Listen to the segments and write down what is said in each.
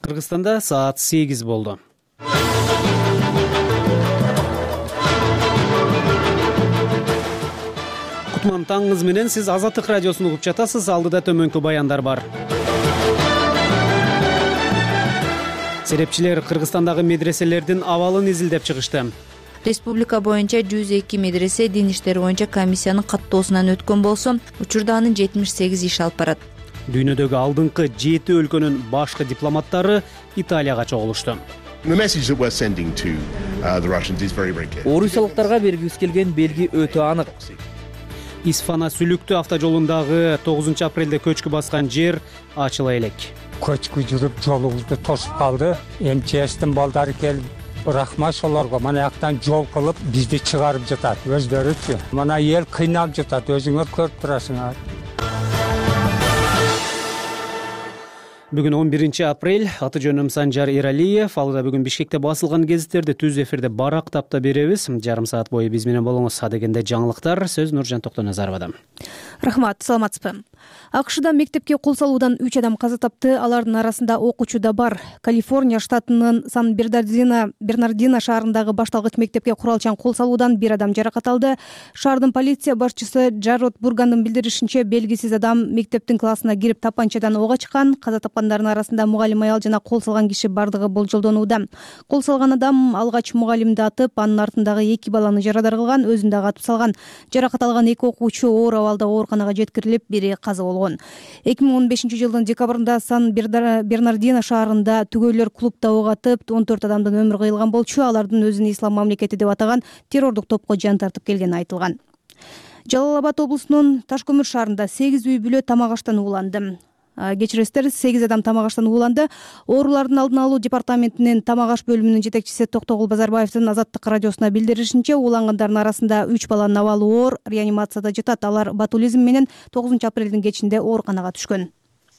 Кыргызстанда саат 8 болду. Кутман таңыңыз менен, сиз Азаттык радиосун угуп жатасыз. Алдыда төмөнкү баяндар бар. Серепчилер Кыргызстандагы медреселердин абалын изилдеп чыгышты. Республика боюнча 102 медресе дин иштери боюнча комиссиянын каттоосунан өткөн болсо, учурда анын 78 иш алып барат. Дүйнөдөгү алдыңкы 7 өлкөнүн башкы дипломаттары Италияга чогулушту. Орусиялыктарга бергибиз келген белги өтө анык. Исфана Сүлүктүү автожолундагы 9 апрелде көчкү баскан жер ачыла элек. Көчкү жүрүп жолубузду тосуп калды. МЧСтин балдары келип, рахмат солорго. Мана жактан жол кылып бизди чыгарып жатат. Өздөрүчү. Мана эл кыйналып жатат. Өзүңөр көрүп турасыңар. Бүгүн 11 апрель, аты жөнүм Санжар Эралиев. Алда бүгүн Бишкекте басылган гезиттерди түз эфирде барактап да беребиз. Жарым саат бою биз менен болуңуз. Адегенде жаңылыктар. Сөз Нуржан Токтоназаровада. Рахмат, саламатсызбы? АКШда мектепке кол салуудан 3 адам каза тапты. Алардын арасында окуучу да бар. Калифорния штатынын Сан-Бернардино шаарындагы башталгыч мектепке куралчан кол салуудан 1 адам жаракат алды. Шаардын полиция башчысы Джарод Бургандын билдиришинче, белгисиз адам мектептин классына кирип тапанчадан ок ачкан. Каза тапкандардын арасында мугалим аял жана кол салган киши бардыгы болжолдонууда. Кол салган адам алгач мугалимди атып, анын артындагы 2 баланы жарадар кылган, өзүн дагы атып салган. Жаракат алган 2 окуучу оор абалда ооруканага жеткирилип, бири каза болгон. 2015-жылдын декабрында Сан-Бернардино шаарында түгөйлөр клубда ок атып, 14 адамдын өмүрү кыйылган болчу. Алардын өзүн ислам мамлекети деп атаган террордук топко жан тартып келгени айтылган. Жалал Абад облусунун Ташкөмүр шаарында 8 үй бүлө тамак аштан ууланды. Кечиресиздер, 8 адам тамак аштан ууланды. Оорулардын алдын алуу департаментинин тамак аш бөлүмүнүн жетекчиси Токтогул Базарбаевдин Азаттык радиосуна билдиришинче, уулангандардын арасында 3 баланын абалы оор, реанимацияда жатат. Алар ботулизм менен 9 апрелдин кечинде ооруканага түшкөн.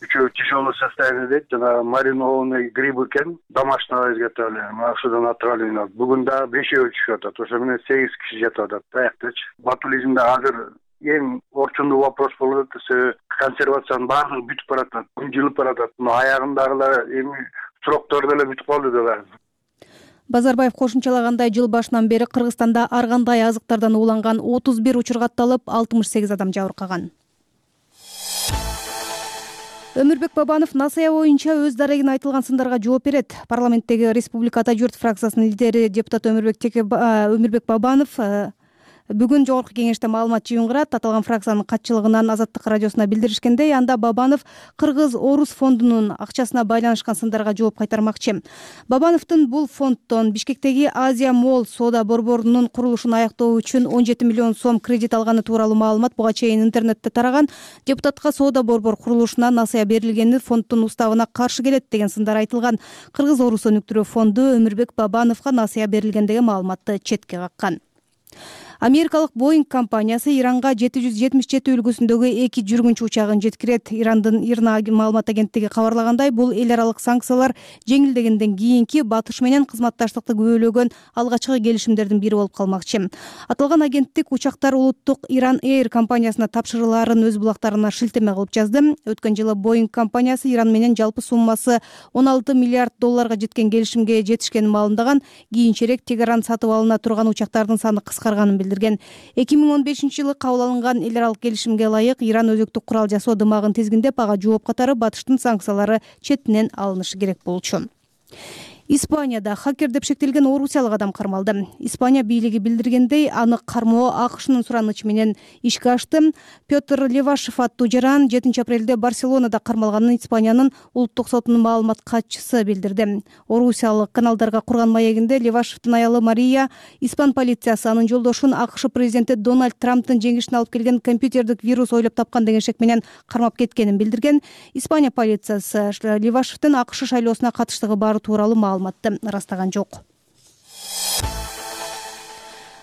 Üçü тяжелое состояние дейт, жана маринованный гриб экен, домашнего изготовления, ошодон отравление. Бүгүн да 5 түшүп атат. Ошо менен 8 киши жатып атат. Аяктачы. Ботулизмде азыр эң орчундуу вопрос болуп атат. Консервациянын баардыгы бүтүп баратат, жылып баратат. Аягындагылар эми сроктор деле бүтүп калды деп. Базарбаев кошумчалагандай, жыл башынан бери Кыргызстанда ар кандай азыктардан ууланган 31 учур катталып, 68 адам жабыркаган. Өмүрбек Бабанов НАСАЯ боюнча өз дарегине айтылган сындарга жооп берет. Парламенттеги Республика Ата журт фракциясынын лидери депутат Өмүрбек Бабанов бүгүн жогорку кеңеште маалымат жыйынтырат. Аталган фракциянын катчылыгынан Азаттык радиосуна билдиришкендей, анда Бабанов Кыргыз-Орус фондунун акчасына байланышкан сындарга жооп кайтармакчы. Бабановдун бул фонддон Бишкектеги Азия Молл соода борборунун курулушун аяктоо үчүн 17 миллион сом кредит алганы тууралуу маалымат буга чейин интернетте тараган. Депутатка соода борбор курулушуна НАСАЯ берилгени фонддун уставына каршы келет деген сындар айтылган. Кыргыз-Орус өнүктүрүү фонду Өмүрбек Бабановго НАСАЯ берилгендеги маалыматты четке каккан. Америкалык Boeing компаниясы Иранга 777 үлгүсүндөгү 2 жүргүнчү учагын жеткирет. Ирандын ИРНА маалымат агенттиги кабарлагандай, бул эл аралык санкциялар жеңилдегенден кийинки Батыш менен кызматташтыкты күбөлөгөн алгачкы келишимдердин бири болуп калмакчы. Аталган агенттик учактар улуттук Иран Air компаниясына тапшырылаарын өз булактарына шилтеме кылып жазды. Өткөн жылы Boeing компаниясы Иран менен жалпы суммасы 16 миллиард долларга жеткен келишимге жетишкенин маалымдаган. Кийинчерээк Тегеран сатып алына турган учактардын саны кыскарганын билдирген. 2015-жылы кабыл алынган эл аралык келишимге ылайык Иран өзөктүк курал жасоо дымагын тизгиндеп, ага жооп катары Батыштын санкциялары четинен алынышы керек болчу. Испанияда хакер деп шектелген орусиялык адам кармалды. Испания бийлиги билдиргендей, аны кармоо АКШнын суранычы менен ишке ашты. Петр Левашев аттуу жаран 7 апрелде Барселонада кармалганын Испаниянын улуттук сотунун маалымат катчысы билдирди. Орусиялык каналдарга курган маегинде Левашевдин аялы Мария испан полициясы анын жолдошун АКШ президенти Дональд Трамптын жеңишине алып келген компьютердик вирус ойлоп тапкан деген шек менен кармап кеткенин билдирген. Испания полициясы Левашевдин АКШ шайлоосуна катыштыгы бары тууралуу маалыматты ырастаган жок.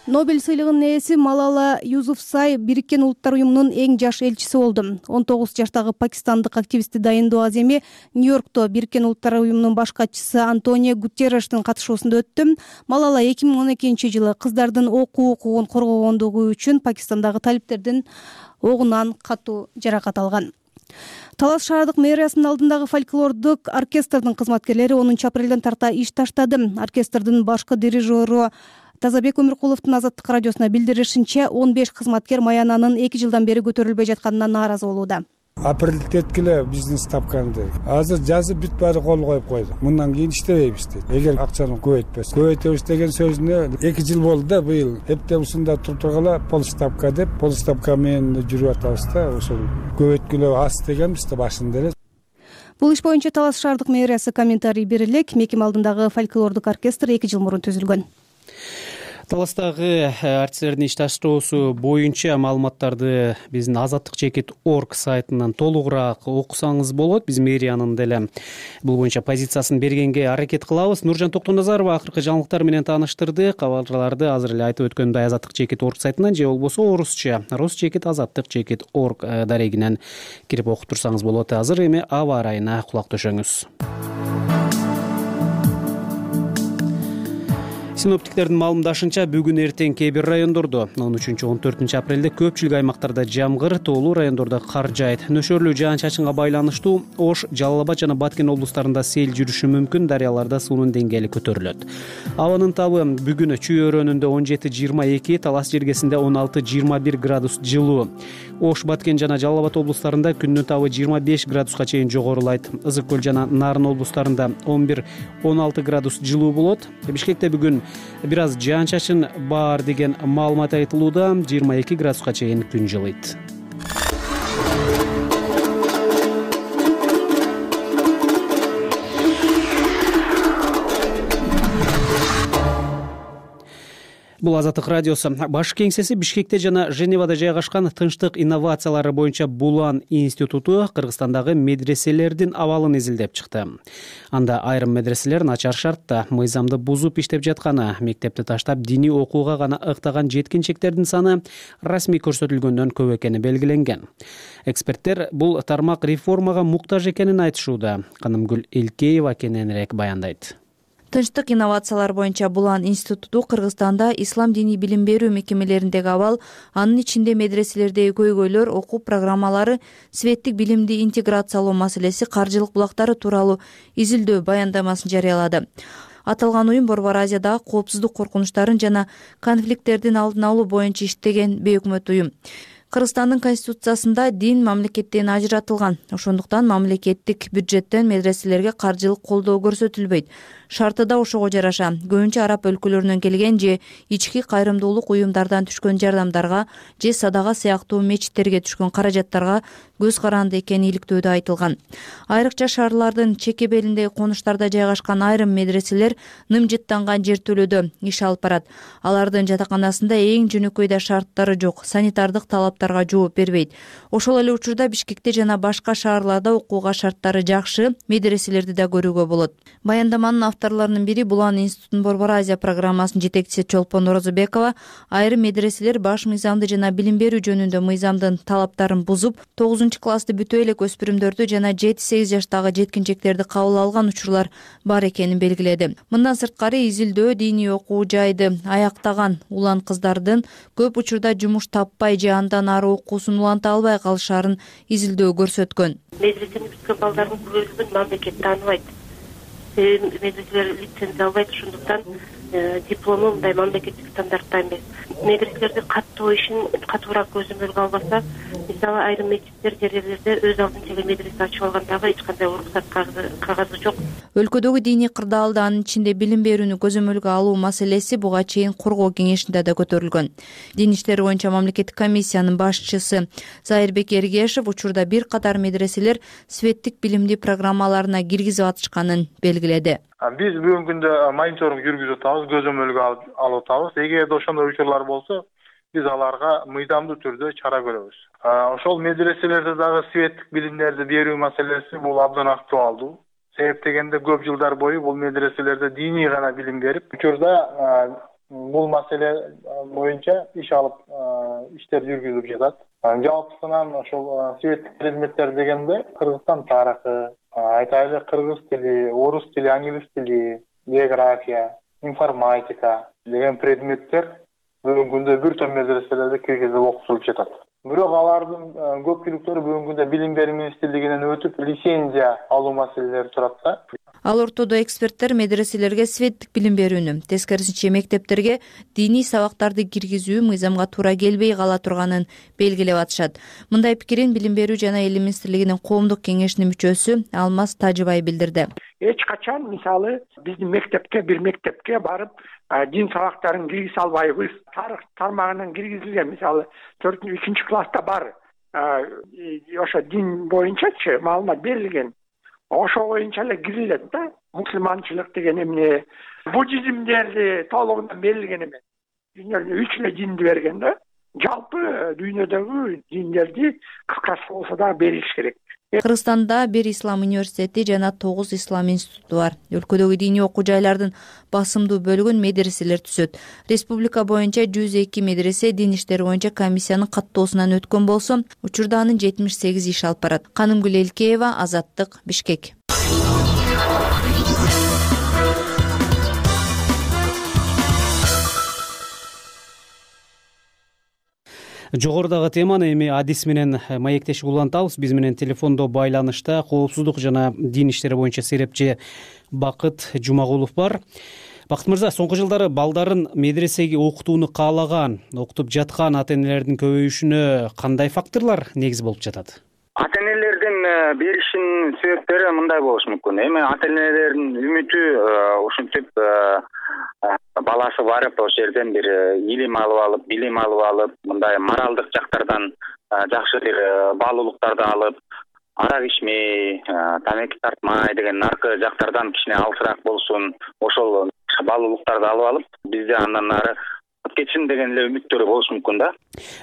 Нобель сыйлыгынын ээси Малала Юсуфзай Бириккен Улуттар уюмунун эң жаш элчиси болду. 19 жаштагы пакистандык активистти дайындоо аземи Нью-Йоркто Бириккен Улуттар уюмунун баш катчысы Антонио Гутеррештин катышуусунда өттү. Малала 2012-жылы кыздардын окуу укугун коргогондугу үчүн Пакистандагы талиптердин огунан катуу жаракат алган. Талас шаардык мэриясынын алдындагы фольклордук оркестрдин кызматкерлери 10 апрелден тарта иш таштады. Оркестрдин башкы дирижеру Тазабек Өмүркуловдун Азаттык радиосуна билдиришинче, 15 кызматкер маянанын 2 жылдан бери көтөрүлбөй жатканына нааразы болууда. Апрелдеткиле бизнес тапканды. Азыр жазып бүт баары кол коюп койду. Мындан кийин иштебейбиз дейт. Эгер акчаны көбөйтөбүз деген сөзүнө 2 жыл болду да быйыл. Эптеп ушунда тургула полставка деп, полставка менен жүрүп атабыз да, ошол көбөйткүлө аз дегенбиз да башында эле. Бул иш боюнча Талас шаардык мэриясы комментарий бере элек. Мекеме алдындагы фольклордук оркестр 2 жыл мурун түзүлгөн. Таластагы артисттердин иш таштоосу боюнча маалыматтарды биздин azattik.org сайтынан толугураак окусаңыз болот. Биз мэриянын деле бул боюнча позициясын бергенге аракет кылабыз. Нуржан Токтоназарова акыркы жаңылыктар менен тааныштырды. Кабарларды азыр эле айтып өткөндөй azattik.org сайтынан же болбосо орусча rus.azattik.org дарегинен кирип окуп турсаңыз болот. Азыр эми аба ырайына кулак төшөңүз. Синоптиктердин маалымдашынча, бүгүн эртең кээ бир райондордо 13-14 апрелде көпчүлүк аймактарда жамгыр, тоолуу райондордо кар жаайт. Нөшөрлүү жаан-чачынга байланыштуу Ош, Жалал Абад жана Баткен облустарында сел жүрүшү мүмкүн, дарыяларда суунун деңгээли көтөрүлөт. Абанын табы бүгүн Чүй өрөөнүндө 17-22, Талас жергесинде 16-21 градус жылуу. Ош, Баткен жана Жалал Абад облустарында күндүн табы 25 градуска чейин жогорулайт. Ызык көл жана Нарын облустарында 11-16 градус жылуу болот. Бишкекте бүгүн бир аз жаан-чачын бар деген маалымат айтылууда, 22 градуска чейин күн жылыйт. Бул Азаттык радиосу. Баш кеңсеси Бишкекте жана Женевада жайгашкан Тынчтык инновациялары боюнча Булан институту Кыргызстандагы медреселердин абалын изилдеп чыкты. Анда айрым медреселер начар шартта, мыйзамды бузуп иштеп жатканы, мектепти таштап диний окууга гана ыктаган жеткинчектердин саны расмий көрсөтүлгөндөн көп экени белгиленген. Эксперттер бул тармак реформага муктаж экенин айтышууда. Канымгүл Элкеева кененирээк баяндайт. Тынчтык инновациялар боюнча Булан институту Кыргызстанда ислам диний билим берүү мекемелериндеги абал, анын ичинде медреселердеги көйгөйлөр, окуу программалары, светтик билимди интеграциялоо маселеси, каржылык булактары тууралуу изилдөө баяндамасын жарыялады. Аталган уюм Борбор Азиядагы коопсуздук коркунучтарын жана конфликттердин алдын алуу боюнча иштеген бейөкмөт уюм. Кыргызстандын конституциясында дин мамлекеттен ажыратылган. Ошондуктан мамлекеттик бюджеттен медреселерге каржылык колдоо көрсөтүлбөйт. Шарты да ошого жараша. Көбүнчө араб өлкөлөрүнөн келген же ички кайрымдуулук уюмдардан түшкөн жардамдарга же садага сыяктуу мечиттерге түшкөн каражаттарга көз каранды экени иликтөөдө айтылган. Айрыкча шаарлардын чекебелиндеги конуштарда жайгашкан айрым медреселер нымжыттанган жертөлөдө иш алып барат. Алардын жатаканасында эң жөнөкөй да шарттары жок, санитардык талаптарга жооп бербейт. Ошол эле учурда Бишкекте жана башка шаарларда окууга шарттары жакшы медреселерди да көрүүгө болот. Баяндаманын авторлорунун бири Булан институтунун Борбор Азия программасынын жетекчиси Чолпон Орозобекова айрым медреселер баш мыйзамды жана билим берүү жөнүндө мыйзамдын талаптарын бузуп, 9-классты бүтө элек өспүрүмдөрдү жана 7-8 жаштагы жеткинчектерди кабыл алган учурлар бар экенин белгиледи. Мындан сырткары изилдөө диний окуу жайды аяктаган улан кыздардын көп учурда жумуш таппай же андан ары окуусун уланта албай калышарын изилдөө көрсөткөн. Медресени бүткөн балдардын көбүнчөсүн мамлекет тааныбайт. Медреселер лицензия албайт, ошондуктан диплому мындай мамлекеттик стандартта эмес. Медреселерди каттоо ишин катуураак көзөмөлгө албаса, мисалы айрым мечиттер жерлерде өз алдынча эле медресе ачып алгандагы эч кандай уруксат кагазы жок. Өлкөдөгү диний кырдаалды, анын ичинде билим берүүнү көзөмөлгө алуу маселеси буга чейин коргоо кеңешинде да көтөрүлгөн. Дин иштери боюнча мамлекеттик комиссиянын башчысы Зайырбек Эргешев учурда бир катар медреселер светтик билимди программаларына киргизип атышканын белгиледи. Биз бүгүнкү күндө мониторинг жүргүзүп атабыз, көзөмөлгө алып атабыз. Эгерде ошондой учурлар болсо, биз аларга мыйзамдуу түрдө чара көрөбүз. Ошол медреселерде дагы светтик билимдерди берүү маселеси бул абдан актуалдуу. Себеп дегенде көп жылдар бою бул медреселерде диний гана билим берип, учурда бул маселе боюнча иш алып, иштер жүргүзүлүп жатат. Жалпысынан ошол светтик предметтер дегенде Кыргызстан тарыхы, айтайлы кыргыз тили, орус тили, англис тили, география, информатика деген предметтер бүгүнкү күндө бир топ медреселерде киргизип окутулуп жатат. Бирок алардын көпчүлүктөрү бүгүнкү күндө билим берүү министрлигинен өтүп лицензия алуу маселелери турат да. Ал ортодо эксперттер медреселерге светтик билим берүүнү, тескерисинче мектептерге диний сабактарды киргизүү мыйзамга туура келбей кала турганын белгилеп атышат. Мындай пикирин Билим берүү жана Эл министрлигинин коомдук кеңешинин мүчөсү Алмаз Тажыбай билдирди. Эч качан мисалы биздин бир мектепке барып дин сабактарын киргизе албайбыз. Тарых тармагынан киргизилген, мисалы 4-3 класста бар. Ошо дин боюнчачы маалымат берилген. Ошо боюнча эле кирилет да. Мусулманчылык деген эмне, буддизмдерди толугунан берилген эмес. Дүйнөдө 3 эле динди берген да. Жалпы дүйнөдөгү диндерди кыскасы болсо да бериш керек. Кыргызстанда 1 ислам университети жана 9 ислам институту бар. Өлкөдөгү диний окуу жайлардын басымдуу бөлүгүн медреселер түзөт. Республика боюнча 102 медресе дин иштери боюнча комиссиянын каттоосунан өткөн болсо, учурда анын 78 иш алып барат. Канымгүл Элкеева, Азаттык, Бишкек. Жогорудагы теманы эми адис менен маектешип улантабыз. Биз менен телефондо байланышта коопсуздук жана дин иштери боюнча серепчи Бакыт Жумагулов бар. Бакыт мырза, соңку жылдары балдарын медресеге окутууну каалаган, окутуп жаткан ата энелердин көбөйүшүнө кандай факторлор негиз болуп жатат? Ата энелердин беришинин себептери мындай болушу мүмкүн. Эми ата энелердин үмүтү ушинтип баласы барып ошол жерден бир илим алып, билим алып, мындай моралдык жактардан жакшы бир баалуулуктарды алып, арак ичмей, тамеки тартмай деген наркы жактардан кичине алысыраак болсун, ошол баалуулуктарды алып, бизде андан ары кетсин деген эле үмүттөрү болушу мүмкүн да.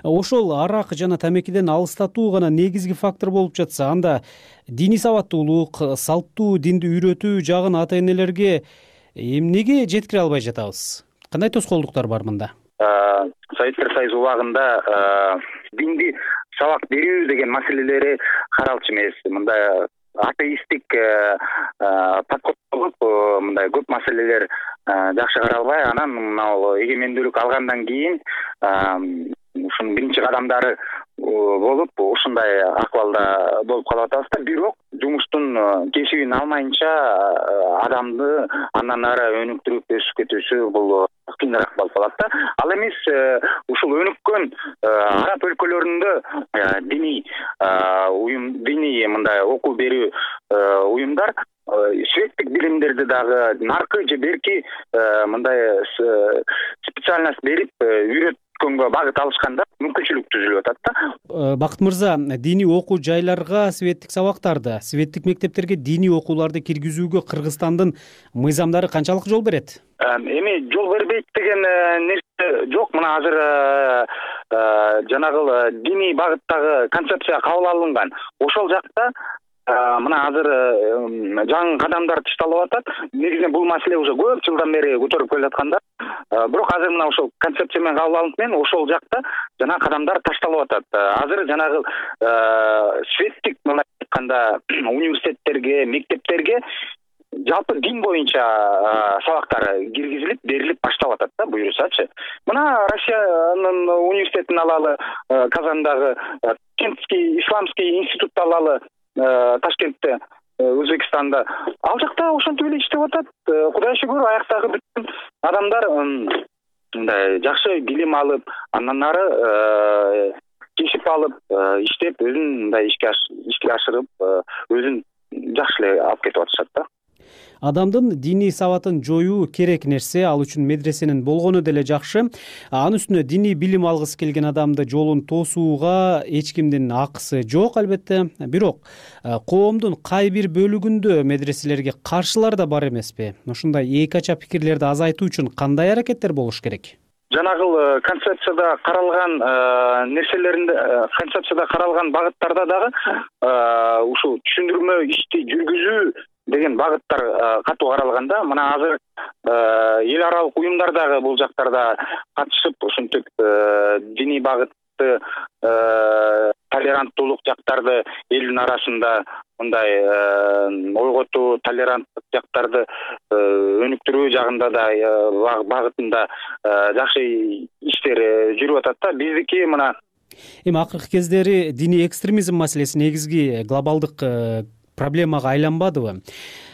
Ошол арак жана тамекиден алыстатуу гана негизги фактор болуп жатса, анда диний сабаттуулук, салттуу динди үйрөтүү жагын ата энелерге эмнеге жеткире албай жатабыз? Кандай тоскоолдуктар бар мында? Советтер Союзу убагында динди сабак берүү деген маселелери каралчу эмес. Мындай атеисттик подход болуп, мындай көп маселелер жакшы каралбай, анан мына эгемендүүлүк алгандан кийин ушунун биринчи кадамдары болуп, ушундай акыбалда болуп калып атабыз да. Бирок жумуштун кесибин алмайынча адамды андан ары өнүктүрүп өсүп кетүүсү бул кыйыныраак болуп калат да. Ал эмес ушул өнүккөн араб өлкөлөрүндө диний диний мындай окуу берүү уюмдар светтик билимдерди дагы наркы же берки мындай специальность берип үйрөткөнгө багыт алышканда мүмкүнчүлүк түзүлүп атат да. Бакыт мырза, диний окуу жайларга светтик сабактарды, светтик мектептерге диний окууларды киргизүүгө Кыргызстандын мыйзамдары канчалык жол берет? Эми жол бербейт деген нерсе жок. Мына азыр жанагы диний багыттагы концепция кабыл алынган. Ошол жакта мына азыр жаңы кадамдар ташталып атат. Негизинен бул маселе уже көп жылдан бери көтөрүп келе жаткан да. Бирок азыр мына ошол концепция менен кабыл алынып менен ошол жакта жана кадамдар ташталып атат. Азыр жанагы светтик мына айтканда университеттерге, мектептерге жалпы дин боюнча сабактар киргизилип, берилип баштап атат да, буюрсачы. Мына Россиянын университетин алалы, Казандагы Ташкентский исламский институтты алалы, Ташкентте, Өзбекстанда. Ал жакта ошентип эле иштеп атат. Кудай шүгүр, аяктагы бүт адамдар мындай жакшы билим алып, андан ары кесип алып, иштеп, өзүн мындай ишке ашырып, өзүн жакшы эле алып кетип атышат да. Адамдын диний сабатын жоюу керек нерсе, ал үчүн медресенин болгону деле жакшы. Анын үстүнө диний билим алгысы келген адамды жолун тосууга эч кимдин акысы жок, албетте. Бирок коомдун кай бир бөлүгүндө медреселерге каршылар да бар эмеспи? Ушундай эки ача пикирлерди азайтуу үчүн кандай аракеттер болуш керек? Жанагыл концепцияда каралган нерселеринде, концепцияда каралган багыттарда дагы ушул түшүндүрмө ишти жүргүзүү деген багыттар катуу каралганда, мына азыр эл аралык уюмдар дагы бул жактарда катышып, ушинтип диний багытты, толеранттуулук жактарды элдин арасында мындай ойготуу, толеранттык жактарды өнүктүрүү жагында да багытында жакшы иштер жүрүп атат да. Биздики мына Эми акыркы кездери диний экстремизм маселеси негизги глобалдык проблемага айланбадыбы?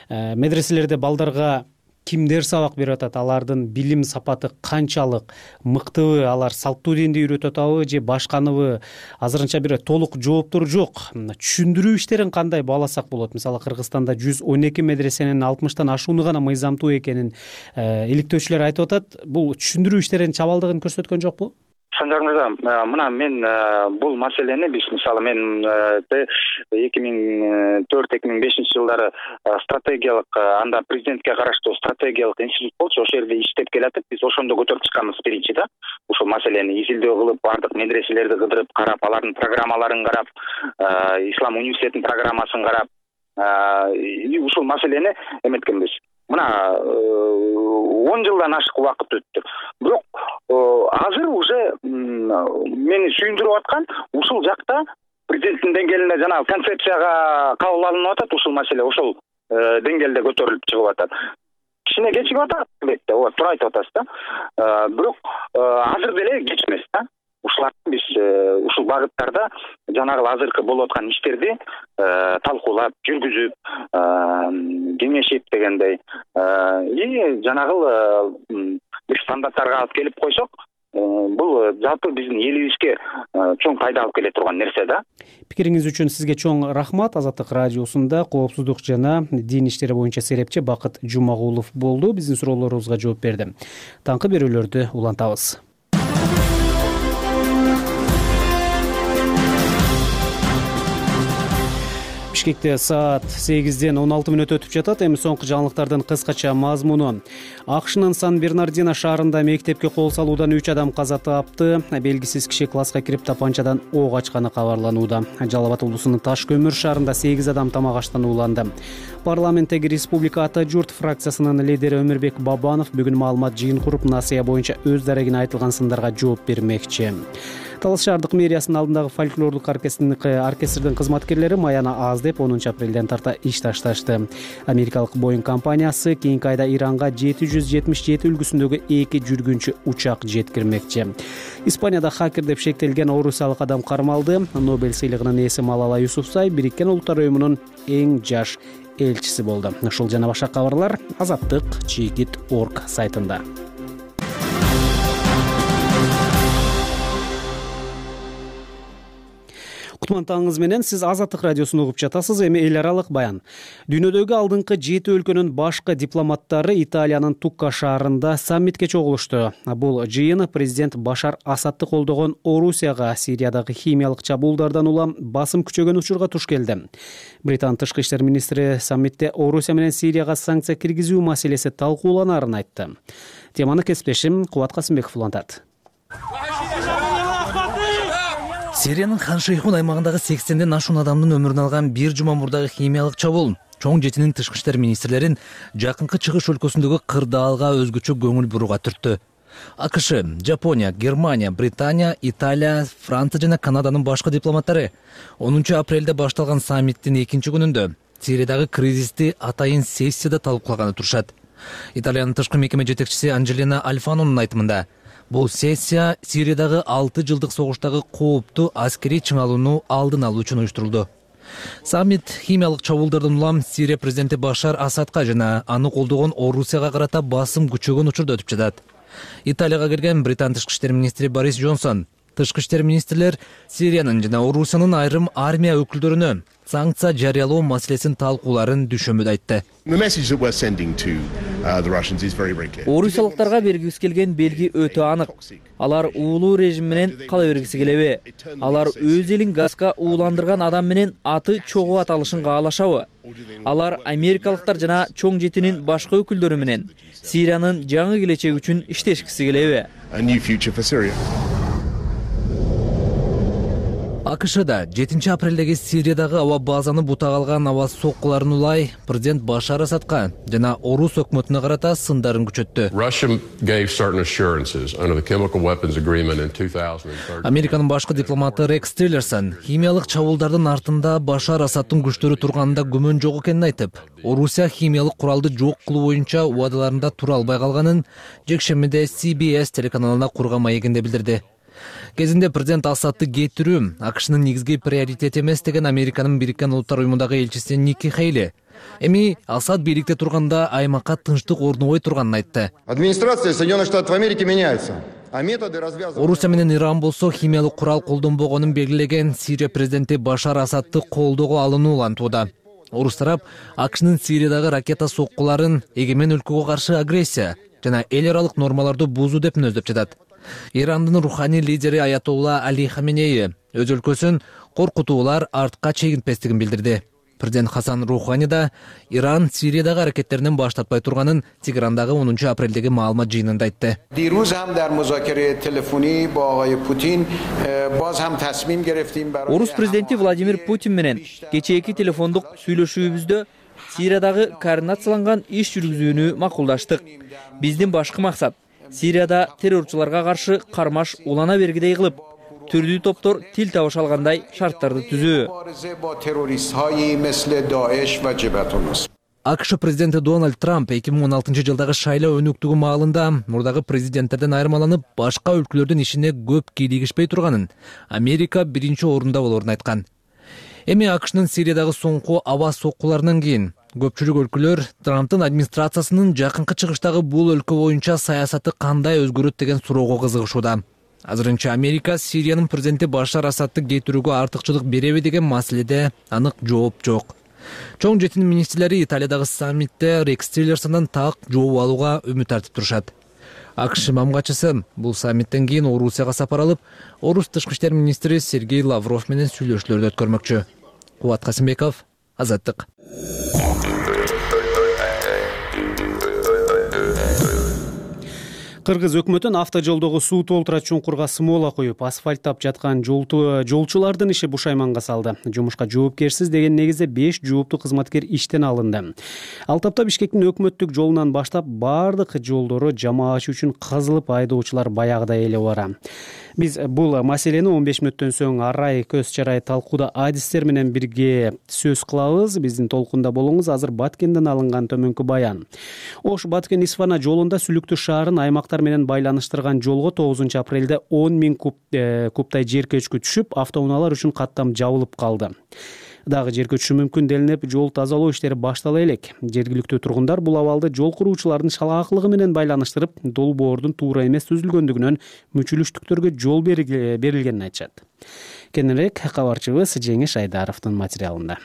Медреселерде балдарга кимдер сабак берип атат, алардын билим сапаты канчалык мыктыбы, алар салттуу динди үйрөтүп атабы же башканыбы? Азырынча бир толук жооптор жок. Түшүндүрүү иштерин кандай бааласак болот? Мисалы Кыргызстанда 112 медресенин 60тан ашууну гана мыйзамдуу экенин иликтөөчүлөр айтып атат. Бул түшүндүрүү иштеринин чабалдыгын көрсөткөн жокпу? Санжар мырза, мына мен бул маселени биз мисалы мен 2004-2005 жылдары стратегиялык анда президентке караштуу стратегиялык институт болчу, ошол жерде иштеп келатып, биз ошондо көтөрүп чыкканбыз биринчи да. Ушул маселени изилдөө кылып, бардык медреселерди кыдырып карап, алардын программаларын карап, Ислам университетинин программасын карап, ушул маселени эметкенбиз. Мына 10 жылдан ашык убакыт өттү. Бирок азыр уже мени сүйүндүрүп аткан ушул жакта президенттин деңгээлинде жана концепцияга кабыл алынып атат ушул маселе, ошол деңгээлде көтөрүлүп чыгып атат. Кичине кечигип атат, албетте, ооба, туура айтып атасыз да. Бирок азыр деле кеч эмес да. Ушуларды биз ушул багыттарда жанагы азыркы болуп аткан иштерди талкуулап, жүргүзүп, кеңешип дегендей, жанагы бир стандарттарга алып келип койсок, бул жалпы биздин элибизге чоң пайда алып келе турган нерсе да. Пикириңиз үчүн сизге чоң рахмат. Азаттык радиосунда коопсуздук жана дин иштери боюнча серепчи Бакыт Жумагулов болду. Биздин суроолорубузга жооп берди. Таңкы берүүлөрдү улантабыз. Бишкекте саат 8-ден 16 мүнөт өтүп жатат. Эми соңку жаңылыктардын кыскача мазмуну. АКШнын Сан-Бернардино шаарында мектепке кол салуудан 3 адам каза тапты. Белгисиз киши класска кирип тапанчадан ок ачканы кабарланууда. Жалал Абад облусунун Таш көмүр шаарында 8 адам тамак аштан ууланды. Парламенттеги Республика Ата журт фракциясынын лидери Өмүрбек Бабанов бүгүн маалымат жыйын куруп, насыя боюнча өз дарегине айтылган сындарга жооп бермекчи. Талас шаардык мэриясынын алдындагы фольклорлук оркестрдин кызматкерлери маяна аз деп 10 апрелден тарта иш ташташты. Америкалык Boeing компаниясы кийинки айда Иранга 777 үлгүсүндөгү 2 жүргүнчү учак жеткирмекчи. Испанияда хакер деп шектелген орусиялык адам кармалды. Нобель сыйлыгынын ээси Малала Юсуфзай Бириккен Улуттар уюмунун эң жаш элчиси болду. Ушул жана башка кабарлар azattik.org сайтында. Кутман таңыңыз менен, сиз Азаттык радиосун угуп жатасыз. Эми эл аралык баян. Дүйнөдөгү алдыңкы 7 өлкөнүн башкы дипломаттары Италиянын Тукка шаарында саммитке чогулушту. Бул жыйын президент Башар Асадты колдогон Орусияга Сириядагы химиялык чабуулдардан улам басым күчөгөн учурга туш келди. Британ тышкы иштер министри саммитте Орусия менен Сирияга санкция киргизүү маселеси талкууланарын айтты. Теманы кесиптешим Кубат Касымбеков улантат. Сириянын Хан Шейхун аймагындагы 80ден ашуун адамдын өмүрүн алган бир жума мурдагы химиялык чабуул чоң жетинин тышкы иштер министрлерин жакынкы чыгыш өлкөсүндөгү кырдаалга өзгөчө көңүл бурууга түрттү. АКШ, Жапония, Германия, Британия, Италия, Франция жана Канаданын башкы дипломаттары 10 апрелде башталган саммиттин 2 күнүндө Сириядагы кризисти атайын сессияда талкуулаганы турушат. Италиянын тышкы мекеме жетекчиси Анджелина Альфанонун айтымында, бул сессия Сириядагы 6 жылдык согуштагы кооптуу аскерий чыңалууну алдын алуу үчүн уюштурулду. Саммит химиялык чабуулдардан улам Сирия президенти Башар Асадка жана аны колдогон Орусияга карата басым күчөгөн учурда өтүп жатат. Италияга келген Британ тышкы иштер министри Борис Джонсон тышкы иштер министрлер Сириянын жана Орусиянын айрым армия өкүлдөрүнө санкция жарыялоо маселесин талкууларын дүшөмөдө айтты. Орусиялыктарга бергибиз келген белги өтө анык. Алар уулуу режим менен кала бергиси келеби? Алар өз элин газга ууландырган адам менен аты чогуу аталышын каалашабы? Алар америкалыктар жана чоң жетинин башка өкүлдөрү менен Сириянын жаңы келечеги үчүн иштешкиси келеби? АКШда 7 апрелдеги Сириядагы аба базаны бутак алган аба соккуларын улай президент Башар Асадка жана Орус өкмөтүнө карата сындарын күчөттү. Американын башкы дипломаты Рекс Тиллерсон химиялык чабуулдардын артында Башар Асадтын күчтөрү турганында күмөн жок экенин айтып, Орусия химиялык куралды жок кылуу боюнча убадаларында тура албай калганын жекшембиде CBS телеканалына курган маегинде билдирди. Кезинде президент Асадты кетирүү АКШнын негизги приоритети эмес деген Американын Бириккен Улуттар уюмундагы элчиси Ники Хейли эми Асад бийликте турганда аймакка тынчтык орнобой турганын айтты. Администрация Соединенных Штатов Америки меняется. Орусия менен Иран болсо химиялык курал колдонбогонун белгилеген Сирия президенти Башар Асадты колдоого алынуу антууда. Орус тарап АКШнын Сириядагы ракета соккуларын эгемен өлкөгө каршы агрессия жана эл аралык нормаларды бузуу деп мүнөздөп жатат. Ирандын руханий лидери Аятолла Али Хаменеи өз өлкөсүн коркутуулар артка чегинтпестигин билдирди. Президент Хасан Рухани да Иран Сириядагы аракеттеринен баш тартпай турганын Тегерандагы 10 апрелдеги маалымат жыйынында айтты. Орус президенти Владимир Путин менен кечээки телефондук сүйлөшүүбүздө Сириядагы координацияланган иш жүргүзүүнү макулдаштык. Биздин башкы максат Сирияда террорчуларга каршы кармаш улана бергидей кылып, түрдүү топтор тил табыш алгандай шарттарды түзүү. АКШ президенти Дональд Трамп 2016 жылдагы шайлоо өнүктүгү маалында мурдагы президенттерден айырмаланып, башка өлкөлөрдүн ишине көп кийлигишпей турганын, Америка биринчи орунда болорун айткан. Эми АКШнын Сириядагы соңку аба соккуларынан кийин көпчүлүк өлкөлөр Трамптын администрациясынын жакынкы чыгыштагы бул өлкө боюнча саясаты кандай өзгөрөт деген суроого кызыгышууда. Азырынча Америка Сириянын президенти Башар Асадты кетирүүгө артыкчылык береби деген маселеде анык жооп жок. Чоң жетин министрлери Италиядагы саммитте Рекс Тиллерсондон так жооп алууга үмүт артып турушат. АКШ мамгачысы бул саммиттен кийин Орусияга сапар алып, Орус тышкы иштер министри Сергей Лавров менен сүйлөшүүлөрдү өткөрмөкчү. Кубат Касымбеков, Азаттык. Кыргыз өкмөтүн автожолдогу суу толтура чуңкурга смола коюп, асфальттап жаткан жолчулардын иши бушайманга салды. Жумушка жоопкерсиз деген негизде 5 жооптуу кызматкер иштен алынды. Ал тапта Бишкектин өкмөттүк жолунан баштап бардык жолдору жамаачы үчүн кызылып, айдоочулар баягыдай эле бара. Биз бул маселени 15 мүнөттөн соң арай көз чарай талкууда адистер менен бирге сөз кылабыз. Биздин толкунда болуңуз. Азыр Баткенден алынган төмөнкү баян. Ош Баткен Исфана жолунда Сүлүктүү шаарын аймактар менен байланыштырган жолго 9 апрелде 10 000 кубтай жер көчкү түшүп, автоунаалар үчүн каттам жабылып калды. Дагы жер көчүшү мүмкүн делинип, жол тазалоо иштери баштала элек. Жергиликтүү тургундар бул абалды жол куруучулардын шалаактылыгы менен байланыштырып, долбоордун туура эмес түзүлгөндүгүнөн мүчүлүштүктөргө жол берилгенин айтышат. Кененирээк кабарчыбыз Жеңиш Айдаровдун материалында.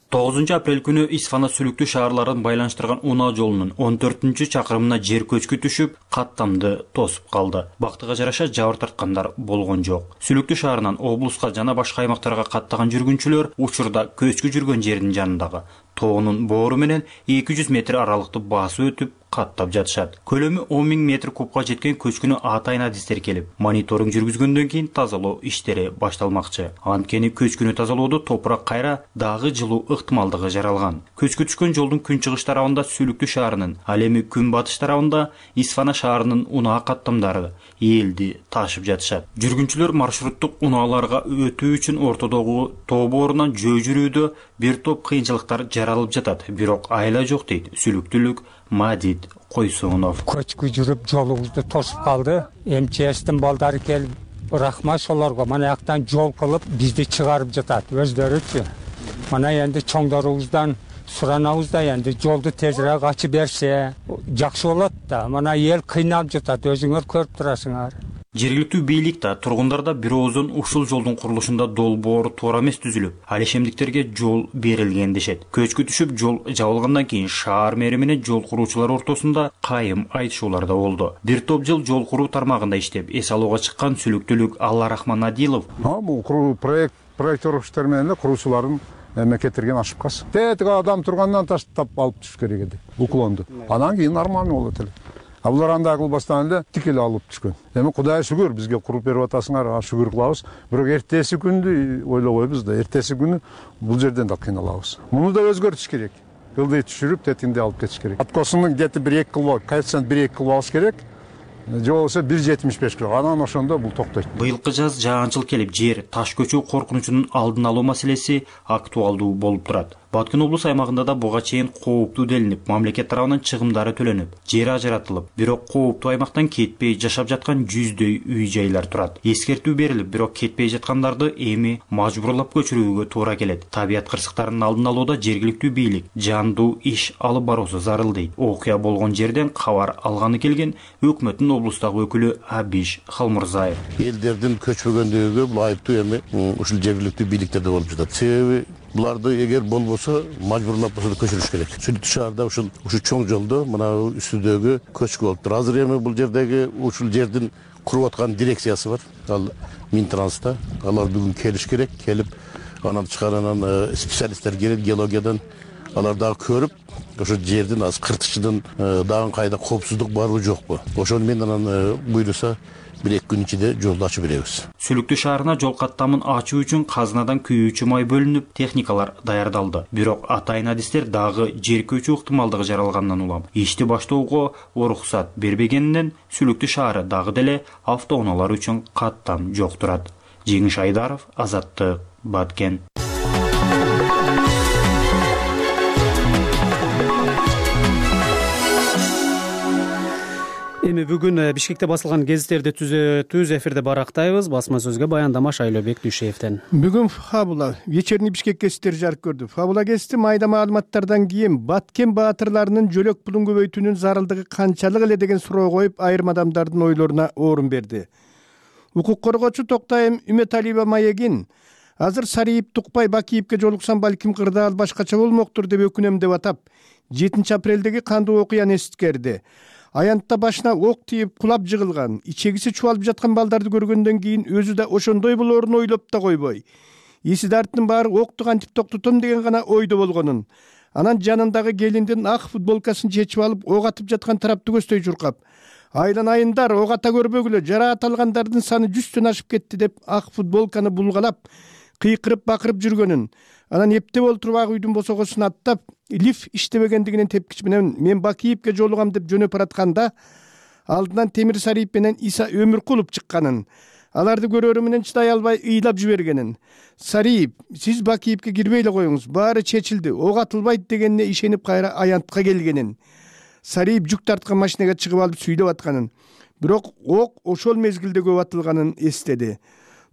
9 апрель күнү Исфана Сүлүктүү шаарларын байланыштырган унаа жолунун 14-чакырымына жер көчкү түшүп, каттамды тосуп калды. Бактыга жараша жабыр тарткандар болгон жок. Сүлүктүү шаарынан облуска жана башка аймактарга каттаган жүргүнчүлөр учурда көчкү жүргөн жердин жанындагы тоонун боору менен 200 метр аралыкты басып өтүп каттап жатышат. Көлөмү 10 000 метр кубка жеткен көчкүнү атайын адистер келип, мониторинг жүргүзгөндөн кийин тазалоо иштери башталмакчы. Анткени көчкүнү тазалоодо топурак кайра дагы жылуу ыктымалдыгы жаралган. Көчкү түшкөн жолдун күнчыгыш тарабында Сүлүктүү шаарынын, ал эми күнбатыш тарабында Исфана шаарынын унаа каттамдары элди ташып жатышат. Жүргүнчүлөр маршруттук унааларга өтүү үчүн ортодогу тоо боорунан жөө жүрүүдө бир топ кыйынчылыктар жаралып жатат. Бирок айла жок дейт Сүлүктүүлүк Мадид Койсонов. Көчкү жүрүп жолубузду тосуп калды. МЧСтин балдары келип, рахмат солорго мына жактан жол кылып бизди чыгарып жатат өздөрүчү. Мына энди чоңдорубуздан суранабыз да, энди жолду тезирээк ачып берсе жакшы болот да. Мына эл кыйналып жатат, өзүңөр көрүп турасыңар. Жергиликтүү бийлик да, тургундар да бир оозун ушул жолдун курулушунда долбоор туура эмес түзүлүп, ал ишемдиктерге жол берилген дешет. Көчкү түшүп жол жабылгандан кийин шаар мэри менен жол куруучулар ортосунда кайым айтышуулар да болду. Бир топ жыл жол куруу тармагында иштеп, эс алууга чыккан сүлүктүүлүк Алла Рахман Адилов. Бул проекттер иштер менен куруучулардын мекеттерген ошибкасы. Тетиги адам тургандан таштап алып түшүш керек эди. Уклонду. Анан кийин нормально болот эле. Булар андай кылбастан эле тик эле алып түшкөн. Эми Кудай шүгүр бизге куруп берип атасыңар, шүгүр кылабыз. Бирок эртеси күндү ойлобойбуз да, эртеси күнү бул жерден да кыйналабыз. Муну да өзгөртүш керек. Кылды түшүрүп, тетинде алып кетиш керек. Откосунун где-то 1-2 кыл, коэффициент 1-2 кыл алыш керек. Же болбосо 1.75 керек. Анан ошондо бул токтойт. Быйылкы жаз жаанчыл келип, жер таш көчүү коркунучунун алдын алуу маселеси актуалдуу болуп турат. Баткен облус аймагында да буга чейин кооптуу делинип, мамлекет тарабынан чыгымдары төлөнүп, жер ажыратылып, бирок кооптуу аймактан кетпей жашап жаткан 100дөй үй-жайлар турат. Эскертүү берилип, бирок кетпей жаткандарды эми мажбурлап көчүрүүгө туура келет. Табият кырсыктарынын алдын алууда жергиликтүү бийлик жандуу иш алып баруусу зарыл дейт. Окуя болгон жерден кабар алганы келген өкмөттүн облустагы өкүлү Абиш Халмурзаев. Элдердин көчпөгөндүгү бул айыптуу эми ушул жергиликтүү бийликтерде болуп жатат. Себеби буларды эгер болбосо мажбурлап болсо да көчүрүш керек. Сүлүктүү шаарда ушул чоң жолдо мына үстүдөгү көчкү болуп тур. Азыр эми бул жердеги ушул жердин куруп аткан дирекциясы бар. Ал Минтранста. Алар бүгүн келиш керек. Келип анан чыгаранан специалисттер келет геологиядан. Алар дагы көрүп, ошо жердин аз кыртышчыдын дагы кайда коопсуздук барбы жокпу. Ошону мен анан буйруса 1-2 күн ичинде жолду ачып беребиз. Сүлүктүү шаарына жол каттамын ачуу үчүн казынадан күйүүчү май бөлүнүп, техникалар даярдалды. Бирок атайын адистер дагы жер көчүү ыктымалдыгы жаралгандан улам ишти баштоого уруксат бербегенинен Сүлүктүү шаары дагы деле автоунаалар үчүн каттам жок турат. Жеңиш Айдаров, Азаттык, Баткен. Эми бүгүн Бишкекте басылган гезиттерди түз эфирде барактайбыз. Басма сөзгө баяндама Шайлообек Дүйшеевден. Бүгүн Фабула вечерний Бишкек гезиттери жарык көрдү. Фабула гезити майда маалыматтардан кийин Баткен баатырларынын жөлөк пулун көбөйтүүнүн зарылдыгы канчалык эле деген суроо коюп, айрым адамдардын ойлоруна орун берди. Укук коргоочу Токтайым Үмөталиева маегин азыр Сариев Тукпай Бакиевке жолуксам балким кырдаал башкача болмоктур деп өкүнөм деп атап, 7 апрелдеги кандуу окуяны эситкерди. Аянтта башына ок тийип кулап жыгылган, ичегиси чубалып жаткан балдарды көргөндөн кийин өзү да ошондой болоорун ойлоп да койбой, эси дарттын баары окту кантип токтотом деген гана ойдо болгонун, анан жанындагы келиндин ак футболкасын чечип алып ок атып жаткан тарапты көздөй чуркап, айланайындар, ок ата көрбөгүлө, жараат алгандардын саны 100төн ашып кетти деп ак футболканы булгалап, кыйкырып бакырып жүргөнүн, анан эптеп олтуруп ак үйдүн босогосун аттап, лифт иштебегендигинен тепкич менен мен Бакиевке жолугам деп жөнөп баратканда, алдынан Темир Сариев менен Иса Өмүркулов чыкканын, аларды көрөрү менен чыдай албай ыйлап жибергенин. Сариев, сиз Бакиевке кирбей эле коюңуз, баары чечилди, ок атылбайт дегенине ишенип кайра аянтка келгенин. Сариев жүк тарткан машинага чыгып алып сүйлөп атканын, бирок ок ошол мезгилде көп атылганын эстеди.